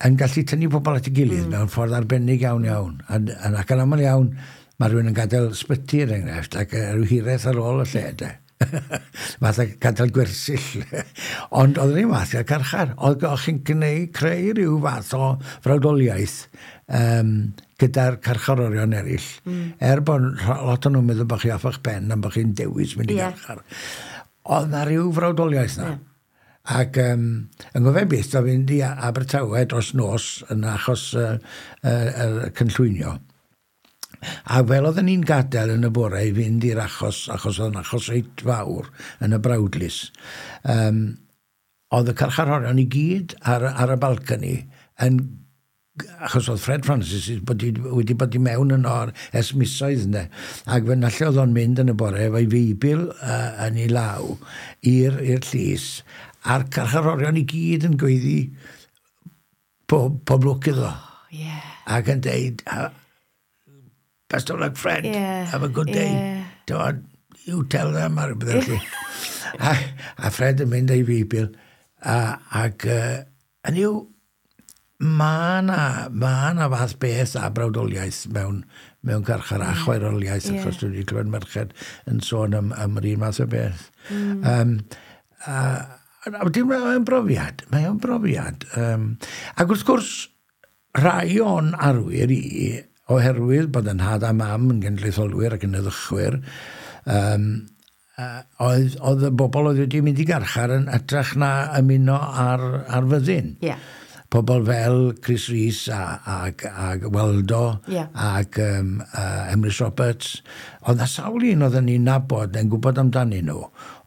yn gallu tynnu pobl at ei gilydd mewn ffordd arbennig iawn iawn. Ac yn aml iawn, mae rhywun yn gadael sbyty, er enghraifft, ac rhyw hiraeth ar ôl y lle, de. Fath o gadael gwersyll. Ond oedd yr un fath i'r carchar. Oedd chi'n gwneud, creu rhyw fath o frawdoliaeth gyda'r carcharorion eraill. Er bod lot o'n nhw'n meddwl bod chi off eich pen am bod chi'n dewis mynd i garchar. Oedd na rhyw frawdoliaeth na. Ac yn gofio byth o fynd i Abertawe dros nos yn achos cynllwynio. A fel oedden ni'n gadael yn y bore i fynd i'r achos, achos oedd yn achos reit fawr yn y brawdlys, oedd y carcharorion i gyd ar y balcony yn, achos oedd Fred Francis wedi bod i mewn yno ers misoedd, ynde. Ac fe nalle oedd o'n mynd yn y bore efo'i feibl yn ei law i'r llys, a'r carcharorion i gyd yn gweiddi pob lwc iddo. Oh, yeah. Ac yn deud, "Best of luck, Fred. Have a good day. Yeah. You tell them," ar rhywbeth felly. A Fred yn mynd â'i feibl. Ac yn yw, mae na fath beth a brawdoliaeth mewn carchar a chwaeroliaeth, achos dwi wedi clywed merched yn sôn am yr un math o beth. A wedyn mae'n brofiad. Mae o'n brofiad. Ac wrth gwrs, rhai o'n arwyr i, oherwydd bod yn nhad a mam yn genedlaetholwyr ac yn heddychwyr, oedd y bobl oedd wedi mynd i garchar yn hytrach na ymuno ar fyddin. Pobl fel Chris Rees ac Waldo ac Emrys Roberts. Oedd na sawl un oedden ni'n nabod yn gwybod amdanyn nhw,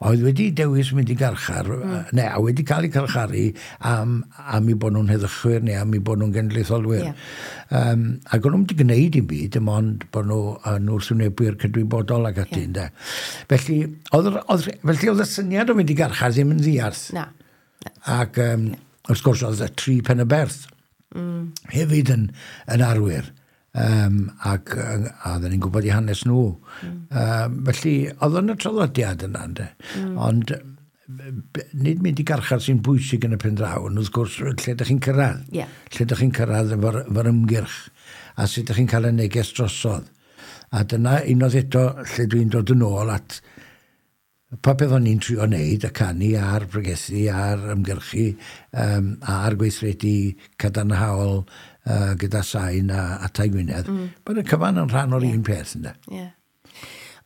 oedd wedi dewis mynd i garchar, neu a wedi cael eu carcharu am eu bod nhw'n heddychwyr neu am eu bod nhw'n genedlaetholwyr. Ac o'n nhw'n wedi gwneud dim byd, dim ond bod nhw yn wrthwynebwyr cydwybodol ac ati. Yeah. Felly oedd y syniad o fynd i garchar ddim yn ddiarth. Na. Ac wrth gwrs oedd y tri Pen-y-Berth hefyd yn arwyr. Ac a oedden ni'n gwybod i hanes nhw. Felly oedd yn y traddodiad yna, ynde. Ond nid mynd i garchar sy'n bwysig yn y pen draw, ond wrth gwrs lle ydych chi'n cyrraedd. Lle ydych chi'n cyrraedd efo'r ymgyrch a sut ydych chi'n cael y neges drosodd. A dyna unwaith eto lle dwi'n dod yn ôl at popeth o'n i'n trio wneud, y canu a'r pregethu a'r ymgyrchu a'r gweithredu cadarnhaol gyda Sain a Tai Gwynedd, bod y cyfan yn rhan o'r un peth, ynde. Ie.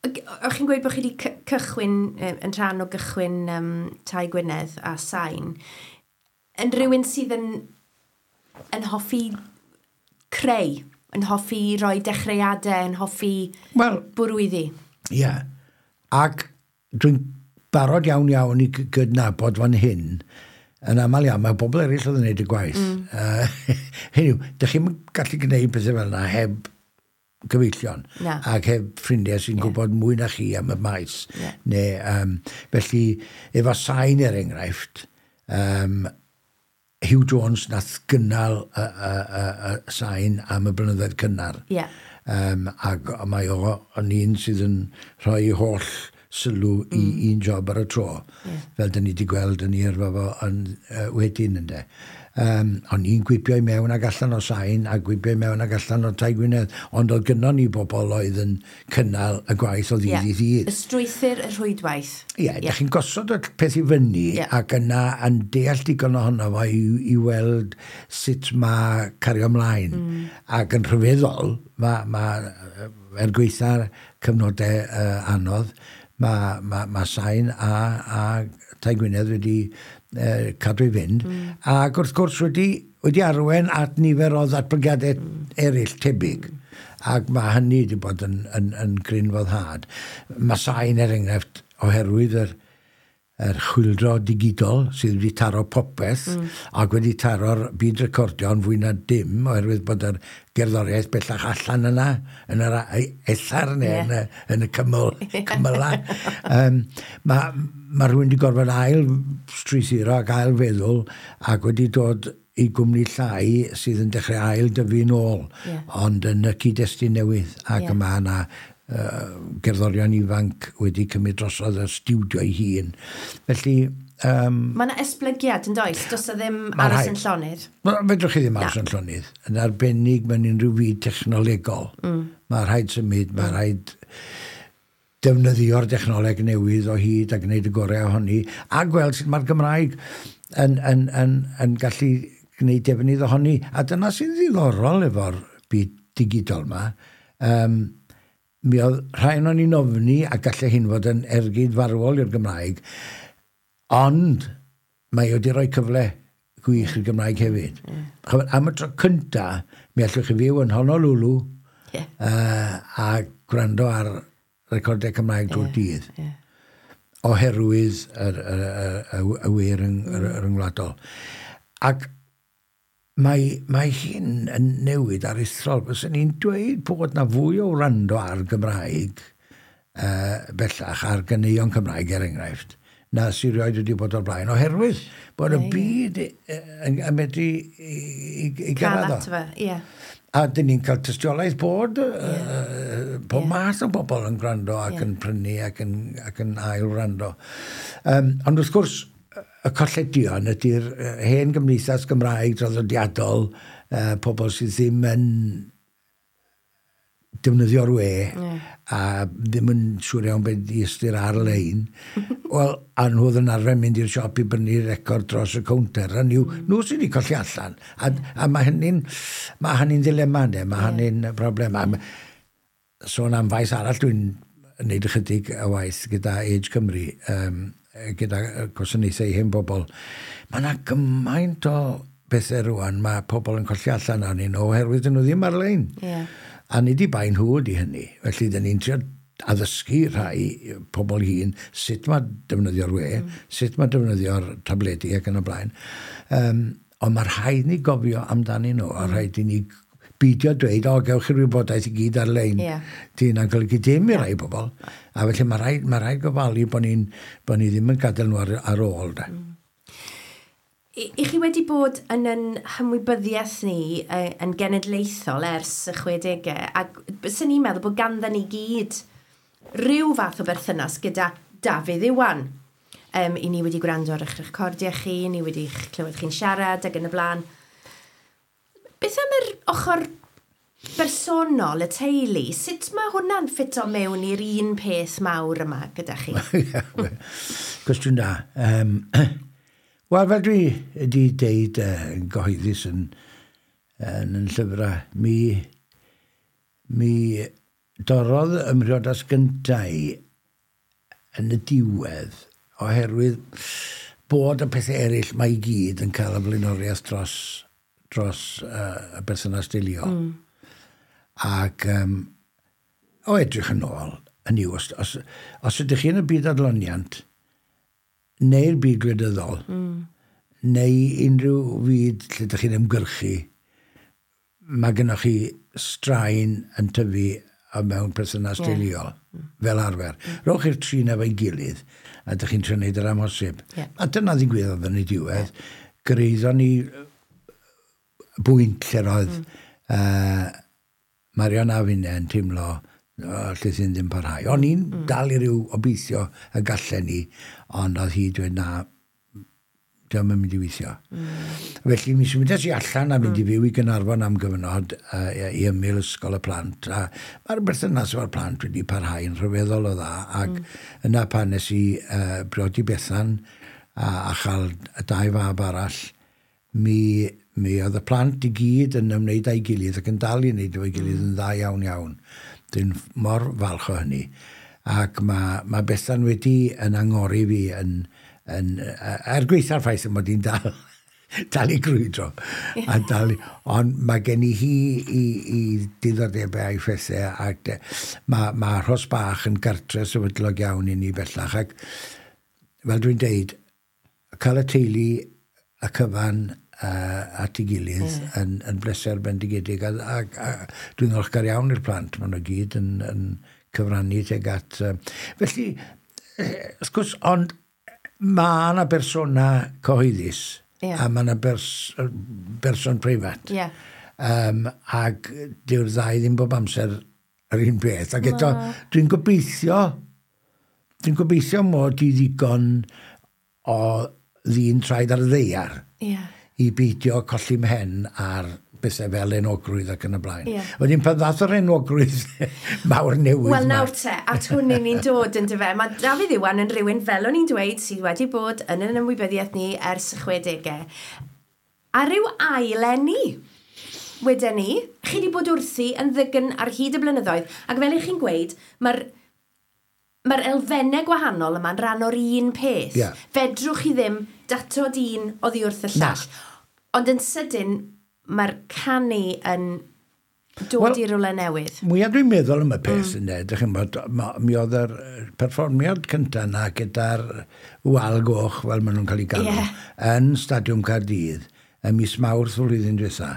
O'ch chi'n gweud bod chi wedi cychwyn, yn rhan o gychwyn Tai Gwynedd a Sain, yn rhywun sydd yn hoffi creu, yn hoffi rhoi dechreuadau, yn hoffi bwrw iddi? Ie. Yeah. Ac dwi'n barod iawn iawn i gydnabod fan hyn, yn aml iawn, mae bobl eraill oedd yn gwneud y gwaith. Hynny yw, dych chi'n gallu gwneud pethau fel yna heb gyfeillion. Na. Ac heb ffrindiau sy'n gwybod mwy na chi am y maes. Yeah. Neu, felly, efo Sain er enghraifft, Hugh Jones nath gynnal y Sain am y blynyddoedd cynnar. Yeah. Ac mae o yn un sydd yn rhoi holl sylw i un job ar y tro. Fel dyn ni wedi gweld yn ei yrfa fo yn, wedyn ynde. O'n i'n gwibio i mewn ag allan o Sain a gwibio i mewn ag allan o Tai Gwynedd, ond oedd gynnon ni bobl oedd yn cynnal y gwaith o ddydd i ddydd. Y strwythur, y rhwydwaith. Ie, yeah, yeah. Chi'n gosod y peth i fyny ac yna yn deall digon ohono fo i weld sut mae cario ymlaen. Ac yn rhyfeddol, ma, er gweitha'r cyfnodau anodd, ma Sain a Tai Gwynedd wedi cadw i fynd, ac wrth gwrs wedi arwain at nifer o ddatblygiadau eraill tebyg, ac mae hynny wedi bod yn gryn foddhad. Mae Sain, er enghraifft, oherwydd yr chwyldro digidol sydd wedi taro popeth ac wedi taro'r byd recordio'n fwy na dim, oherwydd bod yr gerddoriaeth bellach allan yna, yn yr ether neu yn y cymyla. Mae rhywun wedi gorfod ail strwythuro ac ail feddwl ac wedi dod i gwmni llai sydd yn dechrau ail dyfu nôl, ond yn y cyd-destun newydd, ac mae yna gerddorion ifanc wedi cymryd drosodd y stiwdio ei hun. Felly Mae yna esblygiad yn does? Does o ddim aros yn llonydd? Fedrwch chi ddim aros yn llonydd. Yn arbennig mewn unrhyw fyd technolegol. Mae rhaid symud, mae rhaid defnyddio'r dechnoleg newydd o hyd a gwneud y gorau ohoni, a gweld sut mae'r Gymraeg yn gallu gwneud defnydd ohoni. A dyna sy'n ddiddorol efo'r byd digidol yma. Mi oedd rhai o'n i'n ofni a gallai hyn fod yn ergyd farwol i'r Gymraeg, ond mae wedi rhoi cyfle gwych i'r Gymraeg hefyd. Am y tro cynta, mi allwch chi fyw yn Honolulu a gwrando ar recordiau Cymraeg drwy'r dydd. Oherwydd y we ryngwladol. Ac mae hyn yn newid aruthrol. Fyswn ni'n dweud bod na fwy o wrando ar Gymraeg bellach, ar ganeuon Cymraeg er enghraifft, na sy'n rioed wedi bod o'r blaen, oherwydd bod y byd yn medru i gyrraedd o. A dyn ni'n cael tystiolaeth bod pob math o bobl yn gwrando ac yn prynu ac yn ail wrando. Ond wrth gwrs, y colledion ydy'r hen gymdeithas Gymraeg draddodiadol, pobl sydd ddim yn defnyddio'r we a ddim yn siŵr iawn beth i ystyr ar-lein. Wel, a nhw oedd yn arfer mynd i'r siop i brynu record dros y cownter, a nhw sydd wedi colli allan. A mae hynny'n ddilema, ne? Mae hynny'n broblem. Sôn am faes arall, dwi'n gwneud ychydig o waith gyda Age Cymru, gyda gwasanaethau i hen bobl. Mae yna gymaint o bethau rwan, mae pobl yn colli allan arnyn nhw oherwydd dyn nhw ddim ar-lein. A nid i bai nhw ydy hynny. Felly, dyn ni'n trio addysgu rhai pobl hŷn sut mae defnyddio'r we, sut mae defnyddio'r tabledi ac yn y blaen. Ond mae rhaid ni gofio amdanyn nhw, a rhaid i ni beidio dweud, o, gewch chi'r wybodaeth i gyd ar-lein. Di hynna'n golygu dim i rai bobl. A felly mae rhaid gofalu bod ni ddim yn gadael nhw ar ôl. De. I chi wedi bod yn hymwybyddiaeth ni yn genedlaethol ers y 60au, ac byswn ni'n meddwl bod ganddo ni gyd rhyw fath o berthynas gyda Dafydd Iwan. I ni wedi gwrando ar eich recordiau chi, ni wedi clywed chi'n siarad ac yn y blaen. Beth am yr ochr bersonol, y teulu? Sut mae hwnna'n ffito mewn i'r un peth mawr yma gyda chi? Cwestiwn da. Wel, fel dwi wedi deud yn gyhoeddus yn llyfrau, mi dorrodd ym mhriodas gyntaf yn y diwedd, oherwydd bod y pethau eraill mae i gyd yn cael y flaenoriaeth dros y berthynas deuluol. Ac o edrych yn ôl, hynny yw, os ydych chi yn y byd adloniant, neu'r byd gwleidyddol, neu unrhyw fyd lle ydych chi'n ymgyrchu, mae gennych chi straen yn tyfu mewn perthynas deuluol, fel arfer. Rhowch chi'r tri efo'i gilydd, a ydych chi'n trio wneud yr amhosib. A dyna ddigwyddodd yn ei diwedd. Gyrhaeddon ni bwynt lle roedd Marion a finne yn teimlo Lle sy'n ddim parhau. O'n i'n dal i ryw obeithio y gallen ni, ond oedd hi dweud na, diolch yn mynd i weithio. Felly mi symudes i allan a mynd i fyw i Gaernarfon am gyfnod i ymyl ysgol y plant. A mae'r berthynas efo'r plant wedi parhau yn rhyfeddol o dda. Ac yna pan nes i briodi Bethan a chael y dau fab arall, mi oedd y plant i gyd yn ymwneud â'i gilydd ac yn dal i wneud efo'i gilydd yn dda iawn iawn. Dwi'n mor falch o hynny. Ac mae Bethan wedi yn angori fi yn er gweitha'r ffaith mod i'n dal i grwydro. A dal, ond mae gen i hi i diddordebau a'i phethau ac mae Rhos Bach yn gartre sefydlog iawn i ni bellach. Ac fel dwi'n deud, cael y teulu y cyfan at ei gilydd yn bleser bendigedig. A dwi'n ddiolchgar iawn i'r plant, maen nhw gyd yn cyfrannu tuag at... Felly, wrth gwrs, ond mae yna bersona cyhoeddus a mae yna berson preifat. Ac dyw'r ddau ddim bob amser yr un peth. Ac eto, dwi'n gobeithio mod i ddigon o ddyn traed ar y ddaear i beidio colli mhen ar bethau fel enwogrwydd ac yn y blaen. Wedyn pan ddath yr enwogrwydd mawr newydd... Wel nawr te, at hwn ni'n dod yn dyfe. Mae Dafydd Iwan yn rhywun, fel o'n i'n dweud, sydd wedi bod yn yn ymwybyddiaeth ni ers y 60au. A rhyw ail eni, wedyn ni, chi wedi bod wrthi yn ddygn ar hyd y blynyddoedd, ac fel i chi'n gweud, mae'r elfennau gwahanol yma'n rhan o'r un peth. Fedrwch chi ddim datod un oddi wrth y llall. Ond yn sydyn, mae'r canu yn dod i rywle newydd. Mwyaf dwi'n meddwl am y peth yna, dych chi'n bod, mi oedd yr perfformiad cyntaf yna gyda'r wal goch, fel maen nhw'n cael ei galw, yn Stadiwm Caerdydd, ym mis Mawrth flwyddyn diwetha,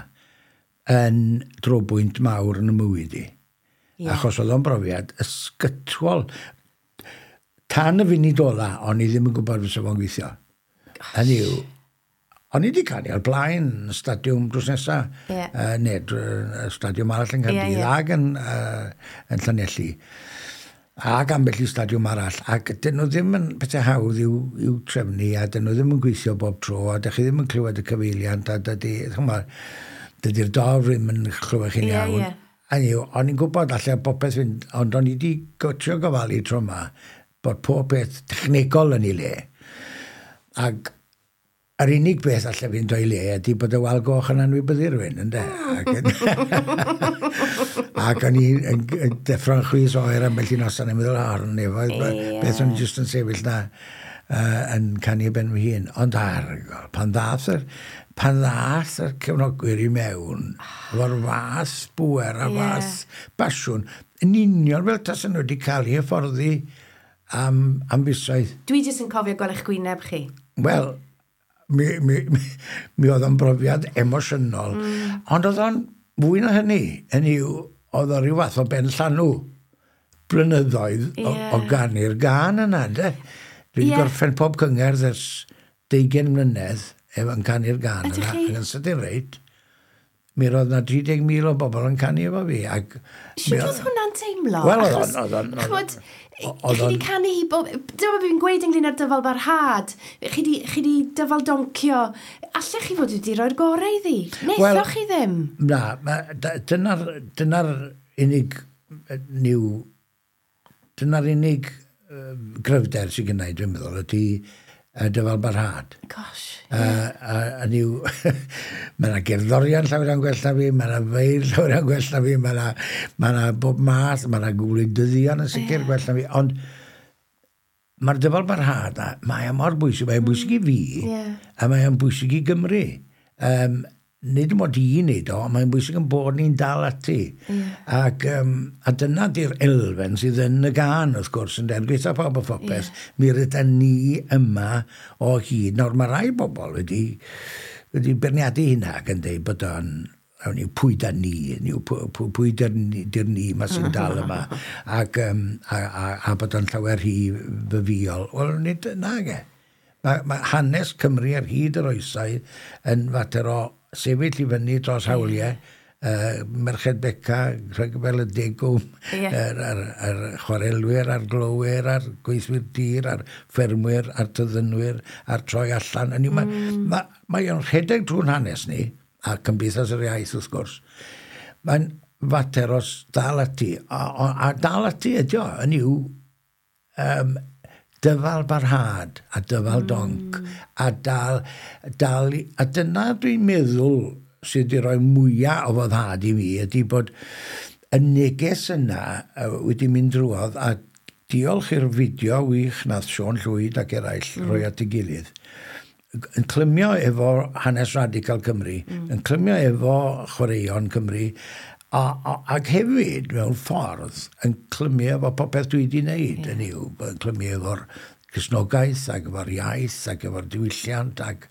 yn drobwynt mawr yn y mywyd i. Achos oedd o'n brofiad ysgytwol. Tan y funud ola, o'n i ddim yn gwybod fysa fo'n gweithio. Hynny yw, o'n i wedi canu o'r blaen stadiwm drws nesa, neu stadiwm arall yn Caerdydd ac yn Llanelli, ac ambell i stadiwm arall, ac dyn nhw ddim yn pethau hawdd i'w trefnu, a dyn nhw ddim yn gweithio bob tro, a dych chi ddim yn clywed y cyfeiliant, a dydy'r dorf ddim yn clywed chi'n iawn. Hynny yw, o'n i'n gwybod allai popeth fynd, ond o'n i wedi trio gofalu tro yma, bod pob peth technegol yn ei le. Ac yr unig beth allai fynd o'i le ydy bod y wal goch yn anwybyddu rhywun, ynde? Ac o'n i'n deffro'n chwys oer ambell i noson yn meddwl, ar nefoedd, beth o'n i jyst yn sefyll na yn canu ben fy hun. Ond argol, pan ddath yr cefnogwyr i mewn, efo'r fath bŵer a fath basiwn, yn union fel tasen nhw wedi cael eu hyfforddi am fisoedd. Dwi jyst yn cofio gweld eich gwyneb chi. Wel, mi oedd o'n brofiad emosiynol, ond oedd o'n fwy na hynny. Hynny yw, oedd o ryw fath o ben llanw blynyddoedd o ganu'r gân yna, de. Dwi wedi gorffen pob cyngerdd ers 20 mlynedd efo'n canu'r gân yna. Ac yn sydyn reit, mi roedd na 30,000 o bobl yn canu efo fi. Sut oedd hwnna'n teimlo? Wel, oedd o'n... Chi wedi canu hi bob... Dyma beth fi'n gweud ynglyn â'r dyfal barhad. Chi wedi dyfal doncio. Allech chi fod wedi rhoi'r gorau iddi? Naethoch chi ddim? Na, dyna'r unig dyna'r unig gryfder sydd gennau, dwi'n meddwl, ydy dyfal barhad. Gosh. A niw, mae yna gerddorion llawer iawn gwell na fi, mae yna feir llawer iawn gwell na fi, mae yna bob math, mae yna gwleidyddion yn sicr gwell na fi, ond mae'r dyfal barhad, mae o mor bwysig, mae'n bwysig i fi, a mae'n bwysig i Gymru. Nid mod i wneud o, mae'n bwysig yn bod ni'n dal ati. Ac, a dyna di'r elfen sydd yn y gân, wrth gwrs, yn gweitha pawb a phopeth. Mi rydyn ni yma o hyd. Nawr, mae rai bobl wedi beirniadu hynna ac yn dweud bod o'n pwy da ni, pwy di'r ni ma sy'n dal yma, ac, a bod o'n llawer rhy fyfiol. Wel, nid nag e. Mae hanes Cymru ar hyd yr oesau yn fater o sefyll i fyny dros hawliau Merched Beca, Rhyfel y Degwm, yr chwarelwyr, a'r glowyr, a'r gweithwyr tir, a'r ffermwyr, a'r tyddynwyr, a'r troi allan. Hynny yw, mae o'n rhedeg drwy'n hanes ni, a Cymdeithas yr Iaith wrth gwrs. Mae'n fater os dal ati, a dal ati ydi o, hynny yw, dyfal barhad a dyfal donc, a dal, a dyna dwi'n meddwl sydd wedi rhoi mwyaf o foddhad i mi ydy bod y neges yna wedi mynd drwodd, a diolch i'r fideo wych nath Siôn Llwyd ac eraill rhoi at ei gilydd, yn clymio efo hanes radical Cymru, yn clymio efo chwaraeon Cymru, ac hefyd mewn ffordd yn clymio efo popeth dwi wedi wneud, yn yw, yn clymio efo'r Cristnogaeth ac efo'r iaith ac efo'r diwylliant ac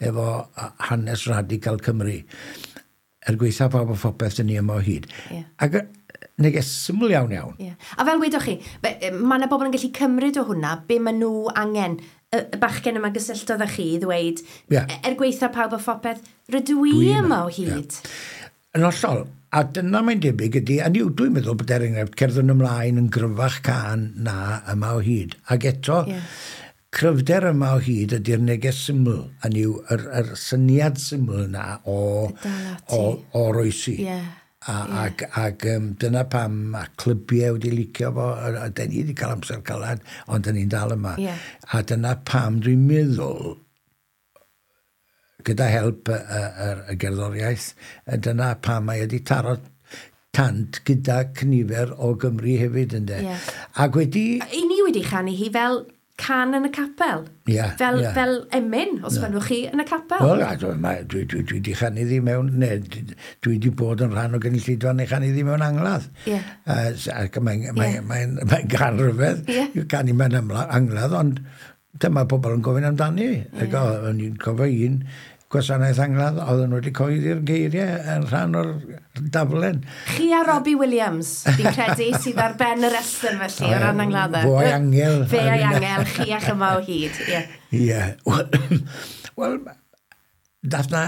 efo hanes radical Cymru. Er gweitha pawb o phopeth dyn ni yma o hyd. Ac neges syml iawn iawn. Yeah. A fel wedoch chi, mae yna bobl yn gallu cymryd o hwnna, be maen nhw angen. Y bachgen yma gysylltodd â chi i ddweud, er gweitha pawb o phopeth, rydw i yma o hyd. Yn hollol. A dyna mae'n debyg ydy, a dwi'n meddwl bod er enghraifft Cerddwn Ymlaen yn gryfach can na Yma o Hyd. Ac eto, cryfder Yma o Hyd ydy'r neges syml, hynny yw, yr syniad syml yna o oroesi. Ac dyna pam mae clybiau wedi licio fo, a dyn ni wedi cael amser calad, ond dyn ni'n dal yma. A dyna pam dwi'n meddwl, gyda help y gerddoriaeth, dyna pam mae wedi taro tant gyda cynifer o Gymru hefyd, ynde. Ac wedi... I ni wedi chanu hi fel can yn y capel. Fel emyn, os fynnwch chi, yn y capel. Wel, dwi wedi chanu ddi mewn, neu dwi wedi bod yn rhan o gynulleidfa neu chanu ddi mewn angladd. Ac mae'n gan rhyfedd, canu mewn angladd, ond dyma pobl yn gofyn amdani. O'n i'n cofio un gwasanaeth angladd, oedden nhw wedi coeddi'r geiriau yn rhan o'r daflen. Chi a Robbie Williams, fi'n credu, sydd ar ben y restr felly, o ran angladdau. Fo a'i angel. Fe a'i angel, chi a'ch Yma o Hyd. Ie. Wel, dath na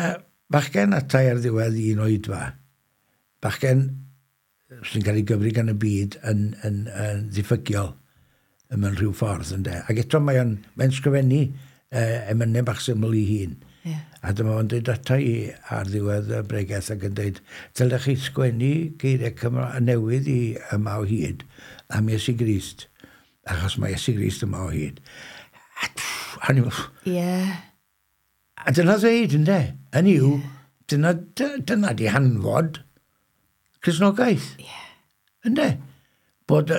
bachgen atai ar ddiwedd un oedfa. Bachgen sy'n cael ei gyfri gan y byd yn ddiffygiol mewn rhyw ffordd, ynde. Ac eto mae'n sgrifennu emynau bach syml i hun. A dyma fo'n dweud ata i ar ddiwedd y bregeth ac yn dweud, dylech chi sgwennu geiriau Cymraeg newydd i Yma o Hyd am Iesu Grist, achos mae Iesu Grist yma o hyd. A dyna ddeud, ynde? Hynny yw, dyna di hanfod Cristnogaeth. Ynde? Bod y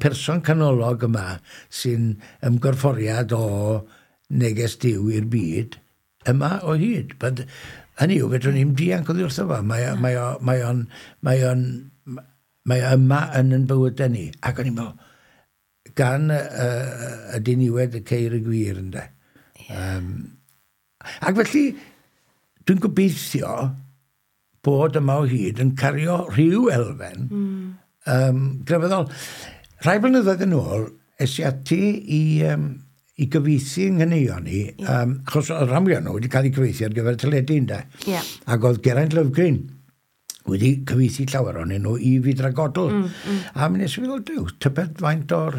person canolog yma sy'n ymgorfforiad o neges Duw i'r byd yma o hyd. Hynny yw, fedrwn ni'm dianc oddi wrtho fo. Mae o yma yn yn bywydau ni. Ac o'n i'n meddwl, gan y diniwed y ceir y gwir, ynde. Ac felly, dwi'n gobeithio bod Yma o Hyd yn cario rhyw elfen grefyddol. Rhai blynyddoedd yn ôl, es i ati i gyfieithu yng nghaneuon ni, achos oedd rhan fwyaf nhw wedi cael eu cyfieithu ar gyfer teledu, ynde. Ac oedd Geraint Lovgreen wedi cyfieithu llawer ohonyn nhw i Fidra Godl. A mi nes i feddwl, duw, tybed faint o'r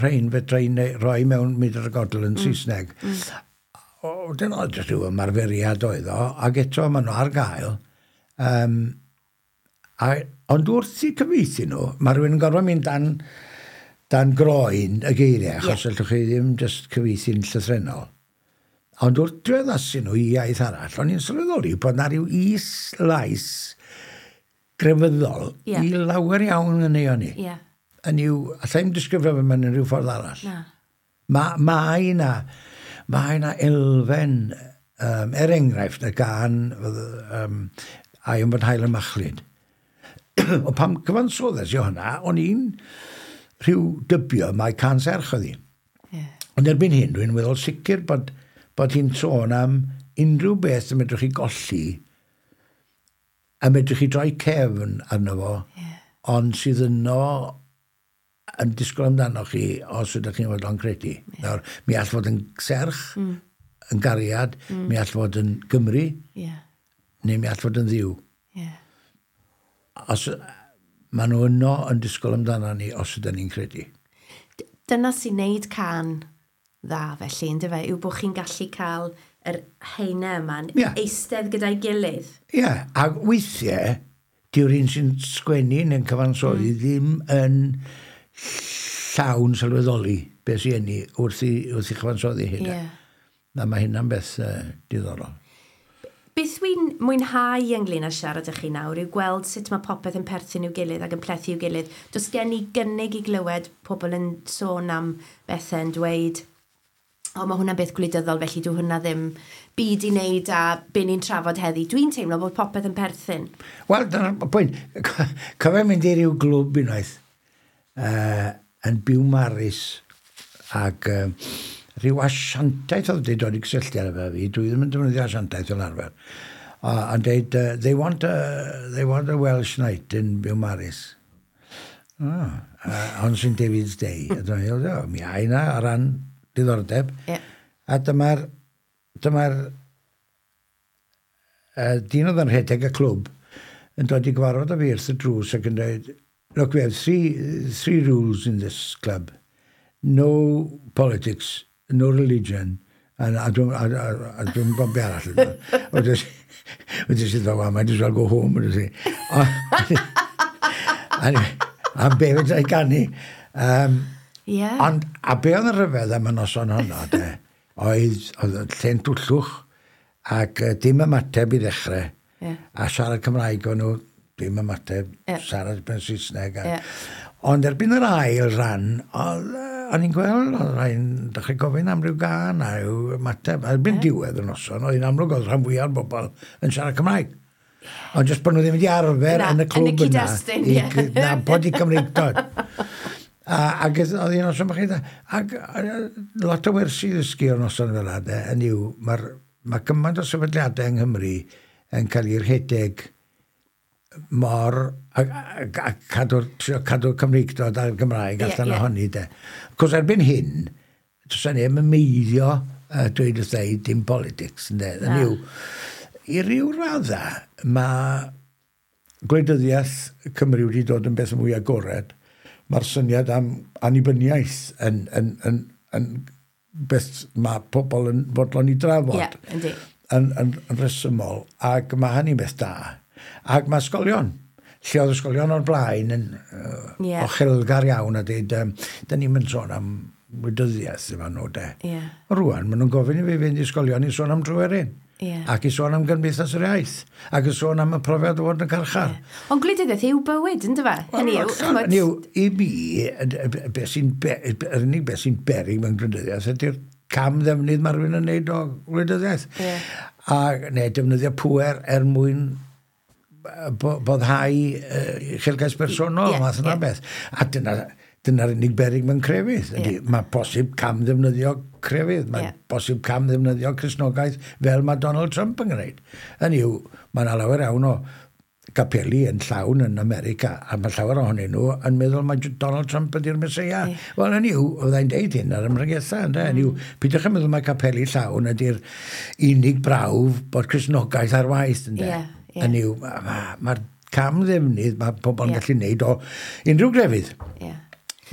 rhain fedra i roi mewn Mydr a Godl yn Saesneg. O, dyna oedd jyst rhyw ymarferiad oedd o, ac eto maen nhw ar gael. Ond wrth i cyfieithu nhw, mae rhywun yn gorfod mynd dan groen y geiriau, achos allwch chi ddim jyst cyfieithu'n llythrennol. Ond wrth diweddasu nhw i iaith arall, o'n i'n sylweddoli bod na rhyw is-lais grefyddol i lawer iawn yn ei o'n i. Yn yw, allai ddim disgrifio fe mewn rhyw ffordd arall. Mae yna elfen, er enghraifft, y gan Ai yn fod hael y machlud. O pam cyfansoddes i hwnna, o'n i'n rhyw dybio mae can serch oedd hi. Ond erbyn hyn, dwi'n meddwl sicr bod hi'n sôn am unrhyw beth y medrwch chi golli a medrwch chi droi cefn arno fo, ond sydd yno yn disgwyl amdano chi os ydych chi'n fodlon credu. Nawr, mi all fod yn serch, yn gariad, mi all fod yn Gymru. neu mi all fod yn ddiw. Yeah. Os, maen nhw yno yn disgwyl amdano ni os ydyn ni'n credu. Dyna sy'n neud can dda felly, ynddo fe, yw bod chi'n gallu cael yr heine yma'n yeah. eistedd gyda'i gilydd. Ie, yeah, a weithiau, dyw'r un sy'n sgwennu neu'n cyfansoddi ddim yn llawn sylweddoli beth sy'n enni wrth i, wrth i chyfansoddi hynna. Yeah. Na, mae hynna'n beth diddorol. Beth dwi'n mwynhau ynglyn â siarad â chi nawr yw gweld sut mae popeth yn perthyn i'w gilydd ac yn plethu i'w gilydd. Does gen i gynnig i glywed pobl yn sôn am bethau yn dweud, o, mae hwnna'n beth gwleidyddol, felly dwi hwnna ddim byd i wneud a be ni'n trafod heddi. Dwi'n teimlo bod popeth yn perthyn. Wel, dyna'r pwynt. Cofio mynd i ryw glwb unwaith yn Biwmaris ac rhyw asiantaeth oedd wedi dod i gysylltiad efo fi. Dwi ddim yn defnyddio asiantaeth fel arfer. Yn dweud, they want a Welsh night in Biwmaris. Oh, on St David's Day. A dwi'n meddwl, o, mi a yna o ran diddordeb. Yeah. A dyma'r dyma dyn oedd yn rhedeg y clwb yn dod i gyfarfod â fi wrth y drws ac yn dweud, look, we have three rules in this club. No politics, no religion, a dwi'n a, dwi'n gwybod be arall. Wedyn sydd fel, well, might as well go home. Wedyn si. A be fedra i ganu. Yeah. Ond, a be oedd yn rhyfedd am y noson honno, de, oedd lle'n twllwch ac dim ymateb i ddechrau. Yeah. A siarad Cymraeg o'n nhw, dim ymateb, yeah. Siarad ben Saesneg. A, yeah. Ond erbyn yr ail ran, o'n i'n gweld, oedd rhai'n dechrau gofyn am ryw gân a ryw ymateb. A erbyn diwedd y noson, oedd hi'n amlwg oedd rhan fwyaf o'r bobl yn siarad Cymraeg. Ond jyst bod nhw ddim wedi arfer yn y clwb yna. I nabod i Cymreictod. Ac oedd hi'n noson bach eitha. Ac lot o wersi ddysgu o'r noson fel yna, yn yw, mae gymaint o sefydliadau yng Nghymru yn cael ei rhedeg mor a cadw'r cadw Cymreictod a'r Gymraeg allan ohoni, de. Cos erbyn hyn, does yna neb yn meiddio dweud wrtha i dim politics, ynde. Yn yw, i ryw radda, mae gwleidyddiaeth Cymru wedi dod yn beth mwy agored. Mae'r syniad am annibyniaeth yn beth mae pobl yn fodlon i drafod. Ie, yndi. Yn rhesymol, ac mae hynny'n beth da. Ac mae ysgolion, lle oedd ysgolion o'r blaen yn ochelgar iawn a dweud, da ni'n mynd sôn am wleidyddiaeth efo nhw, de. Yeah. Rwan, maen nhw'n gofyn i fi fynd i ysgolion i sôn am Dryweryn. Yeah. Ac i sôn am Gymdeithas yr Iaith. Ac i sôn am y profiad o fod yn carchar. Yeah. Ond gwleidyddiaeth yw bywyd, ynddo fe? Hynny yw, hynny yw, i mi, yr unig beth sy'n beryg mewn gwleidyddiaeth ydy'r cam ddefnydd mae rhywun yn neud o gwleidyddiaeth. Yeah. A neu defnyddio pŵer er mwyn boddhau uchelgais personol, math yna beth. A dyna'r unig beryg mewn crefydd. Yeah. Mae posib cam ddefnyddio crefydd, mae posib cam ddefnyddio Cristnogaeth fel mae Donald Trump yn gwneud. Hynny yw, mae yna lawer iawn o gapeli yn llawn yn America, a mae llawer ohonyn nhw yn meddwl mae Donald Trump ydy'r Meseia. Yeah. Wel, hynny yw, fyddai'n deud hyn ar ymregetha, ynde? Hynny yw, peidiwch yn meddwl mae capeli llawn ydy'r unig brawf bod Cristnogaeth ar waith, ynde? Yeah, yeah. Hynny yw, mae'r cam ddefnydd mae pobl yn gallu gwneud o unrhyw grefydd. Yeah.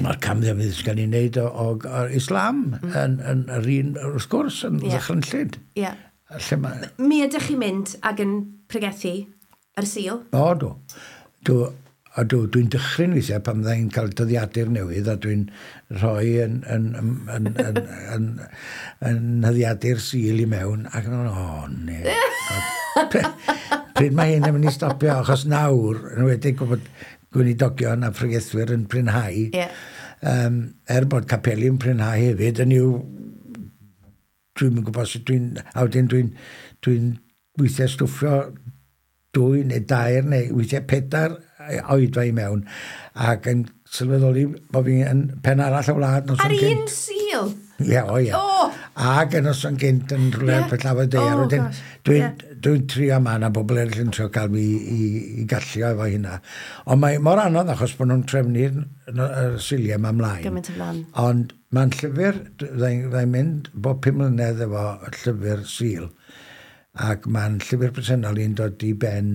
Mae'r cam ddefnydd sy'n cael ei wneud o Islam yn yr un, wrth gwrs, yn ddychrynllyd. Yeah. Lle mae... Mi ydych chi'n mynd ac yn pregethu ar y Sul? O, dw. Dwi'n dychryn weithiau pan fydda i'n cael dyddiadur newydd a dwi'n rhoi yn nyddiadur Sul i mewn ac yn o, ne. Pryd mae hyn yn mynd i stopio, achos nawr, yn enwedig bod gweinidogion a phregethwyr yn prinhau, er bod capeli yn prinhau hefyd, yn yw, dwi'n yn gwybod sut dwi'n, a wedyn dwi'n weithiau stwffio 2 neu 3 neu weithiau 4 oedfa i mewn, ac yn sylweddoli bod fi yn pen arall y wlad noson Ar gynt. un Sul? Ie, o ie. Oh! Ac yn noson gynt yn rhywle yeah. Pellafod Daear. Oh, Wedyn, gosh. Dwi'n trio yma, na bobl eraill yn trio cael fi i gallio efo hynna. Ond mae mor anodd achos bod nhw'n trefnu'r Suliau yma ymlaen. Gymaint o flaen. Ond mae'n llyfr, fyddai'n mynd bob 5 mlynedd efo llyfr Sul. Ac mae'n llyfr presennol i'n dod i ben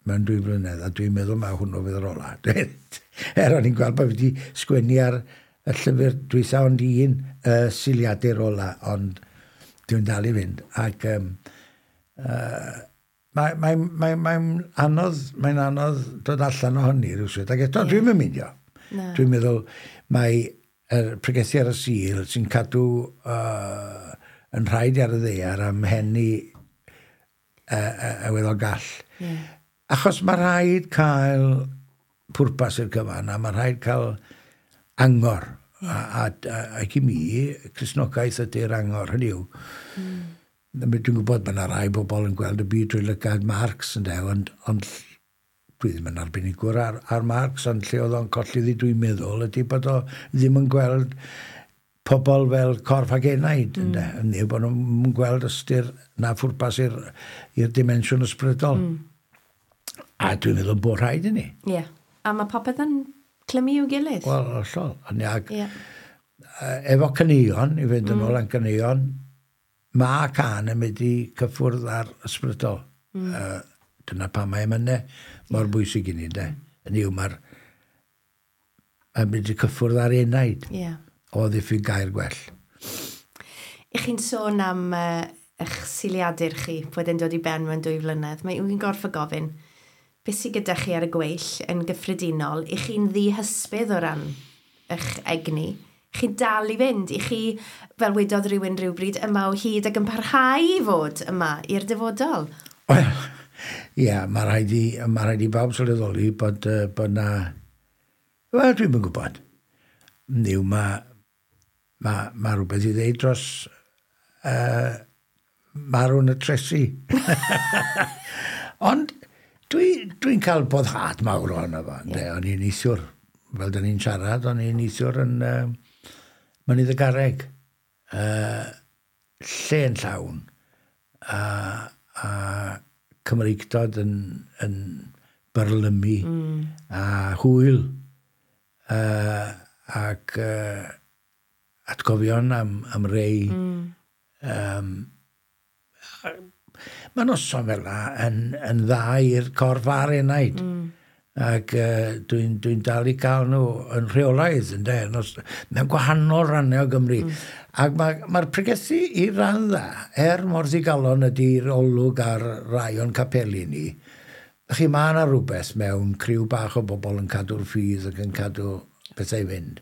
mewn 2 blynedd, a dwi'n meddwl mae hwnnw fydd yr ola. O'n i'n gweld bod fi wedi sgwennu ar y llyfr dwytha ond un siliadur ola, ond dwi'n dal i fynd. Ac mae'n anodd dod allan o hynny rhywsut. Ac eto, yeah. Dwi'n mynd. No. Dwi'n meddwl mae yr pregethu ar y Sul sy'n cadw yn rhaid ar y ddaear am henni y weddol gall. Yeah. Achos mae rhaid cael pwrpas i'r cyfan a mae rhaid cael angor. Yeah. Ac i mi, Cristnogaeth ydy'r angor, hynny yw. Dwi'n gwybod bod yna rai bobl yn gweld y byd drwy lygad Marx, ynde, ond dwi ddim yn arbenigwr ar Marx, ond lle oedd o'n colli ddi dwi'n meddwl ydy bod o ddim yn gweld pobl fel corff ag enaid, ynde. Neu bod nhw'n gweld ystyr na phwrpas i'r dimensiwn ysbrydol. A dwi'n meddwl bod rhaid i ni. Ie. Yeah. A mae popeth yn clymu i'w gilydd. Wel, hollol. Ac efo caneuon, i fynd yn ôl am caneuon, mae can yn mynd i cyffwrdd ar ysbrydol. Dyna pam mae emynau mor bwysig i ni, de. Yn yw, mae'n mynd i cyffwrdd ar enaid. Yeah. O ddiffyg gair gwell. I chi'n sôn am eich siliadur chi, bod e'n dod i ben mewn 2 flynedd. Mae yw'n gorfod gofyn, beth sydd gyda chi ar y gweill yn gyffredinol, i chi'n ddihysbydd o ran eich egni, chi'n dal i fynd, i chi, fel wedodd rhywun rhywbryd, yma o hyd ac yn parhau i fod yma i'r dyfodol. Wel, ie, yeah, mae rhaid i bawb sylweddoli bod na... Wel, dwi'm yn gwybod. Niw, mae rhywbeth i ddeud dros marw'n y tresi. Ond dwi'n cael boddhad mawr ohono fo. Yeah. O'n i'n neithiwr, fel da ni'n siarad, o'n i'n neithiwr yn Mynydd y Garreg. Lle yn llawn. A Cymreictod yn byrlymu. A hwyl. Ac atgofion am rei. Mae noson fel 'na yn dda i'r corff a'r enaid. Ac dwi'n dal i gael nhw yn rheolaidd, ynde, mewn gwahanol rannau o Gymru. Ac mae'r pregethu i ran dda, mor ddigalon ydy'r olwg ar rai o'n capeli ni, chi mae yna rhywbeth mewn criw bach o bobl yn cadw'r ffydd ac yn cadw pethau i fynd.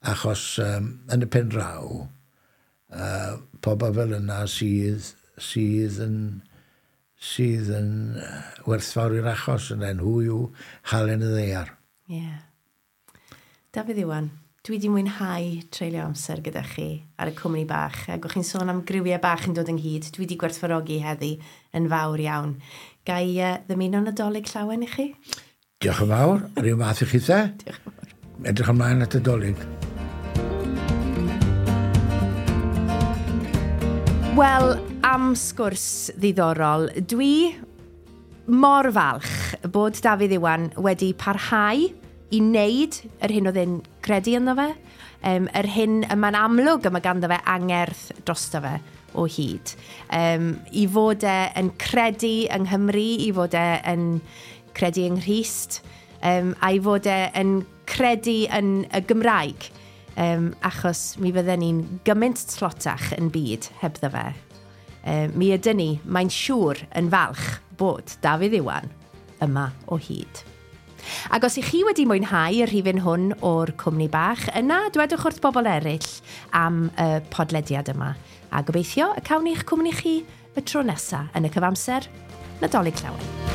Achos yn y pen draw, pobl fel yna sydd yn werthfawr i'r achos yn nhw yw halen y ddaear. Ie. Yeah. Dafydd Iwan, dwi wedi mwynhau treulio amser gyda chi ar y cwmni bach, ac o'ch chi'n sôn am griwiau bach yn dod ynghyd, dwi wedi gwerthfawrogi heddi yn fawr iawn. Ga i ddymuno Nadolig llawen i chi? Diolch yn fawr, yr un fath i chi the. Diolch yn fawr. Edrych ymlaen at y Dolig. Wel, am sgwrs ddiddorol, dwi mor falch bod Dafydd Iwan wedi parhau i wneud yr hyn oedd e'n credu ynddo fe, yr hyn y mae'n amlwg y mae ganddo fe angerdd drosto fe o hyd. I fod e yn credu yng Nghymru, i fod e yn credu yng Nghrist, a i fod e yn credu yn y Gymraeg. Achos mi fydden ni'n gymaint tlotach yn byd hebddo fe. Mi ydyn ni, mae'n siŵr yn falch bod Dafydd Iwan yma o hyd. Ac os ych chi wedi mwynhau y rhifyn hwn o'r cwmni bach, yna dwedwch wrth bobl eraill am y podlediad yma. A gobeithio y cawn ni'ch cwmni chi y tro nesaf yn y cyfamser, Nadolig Llawen.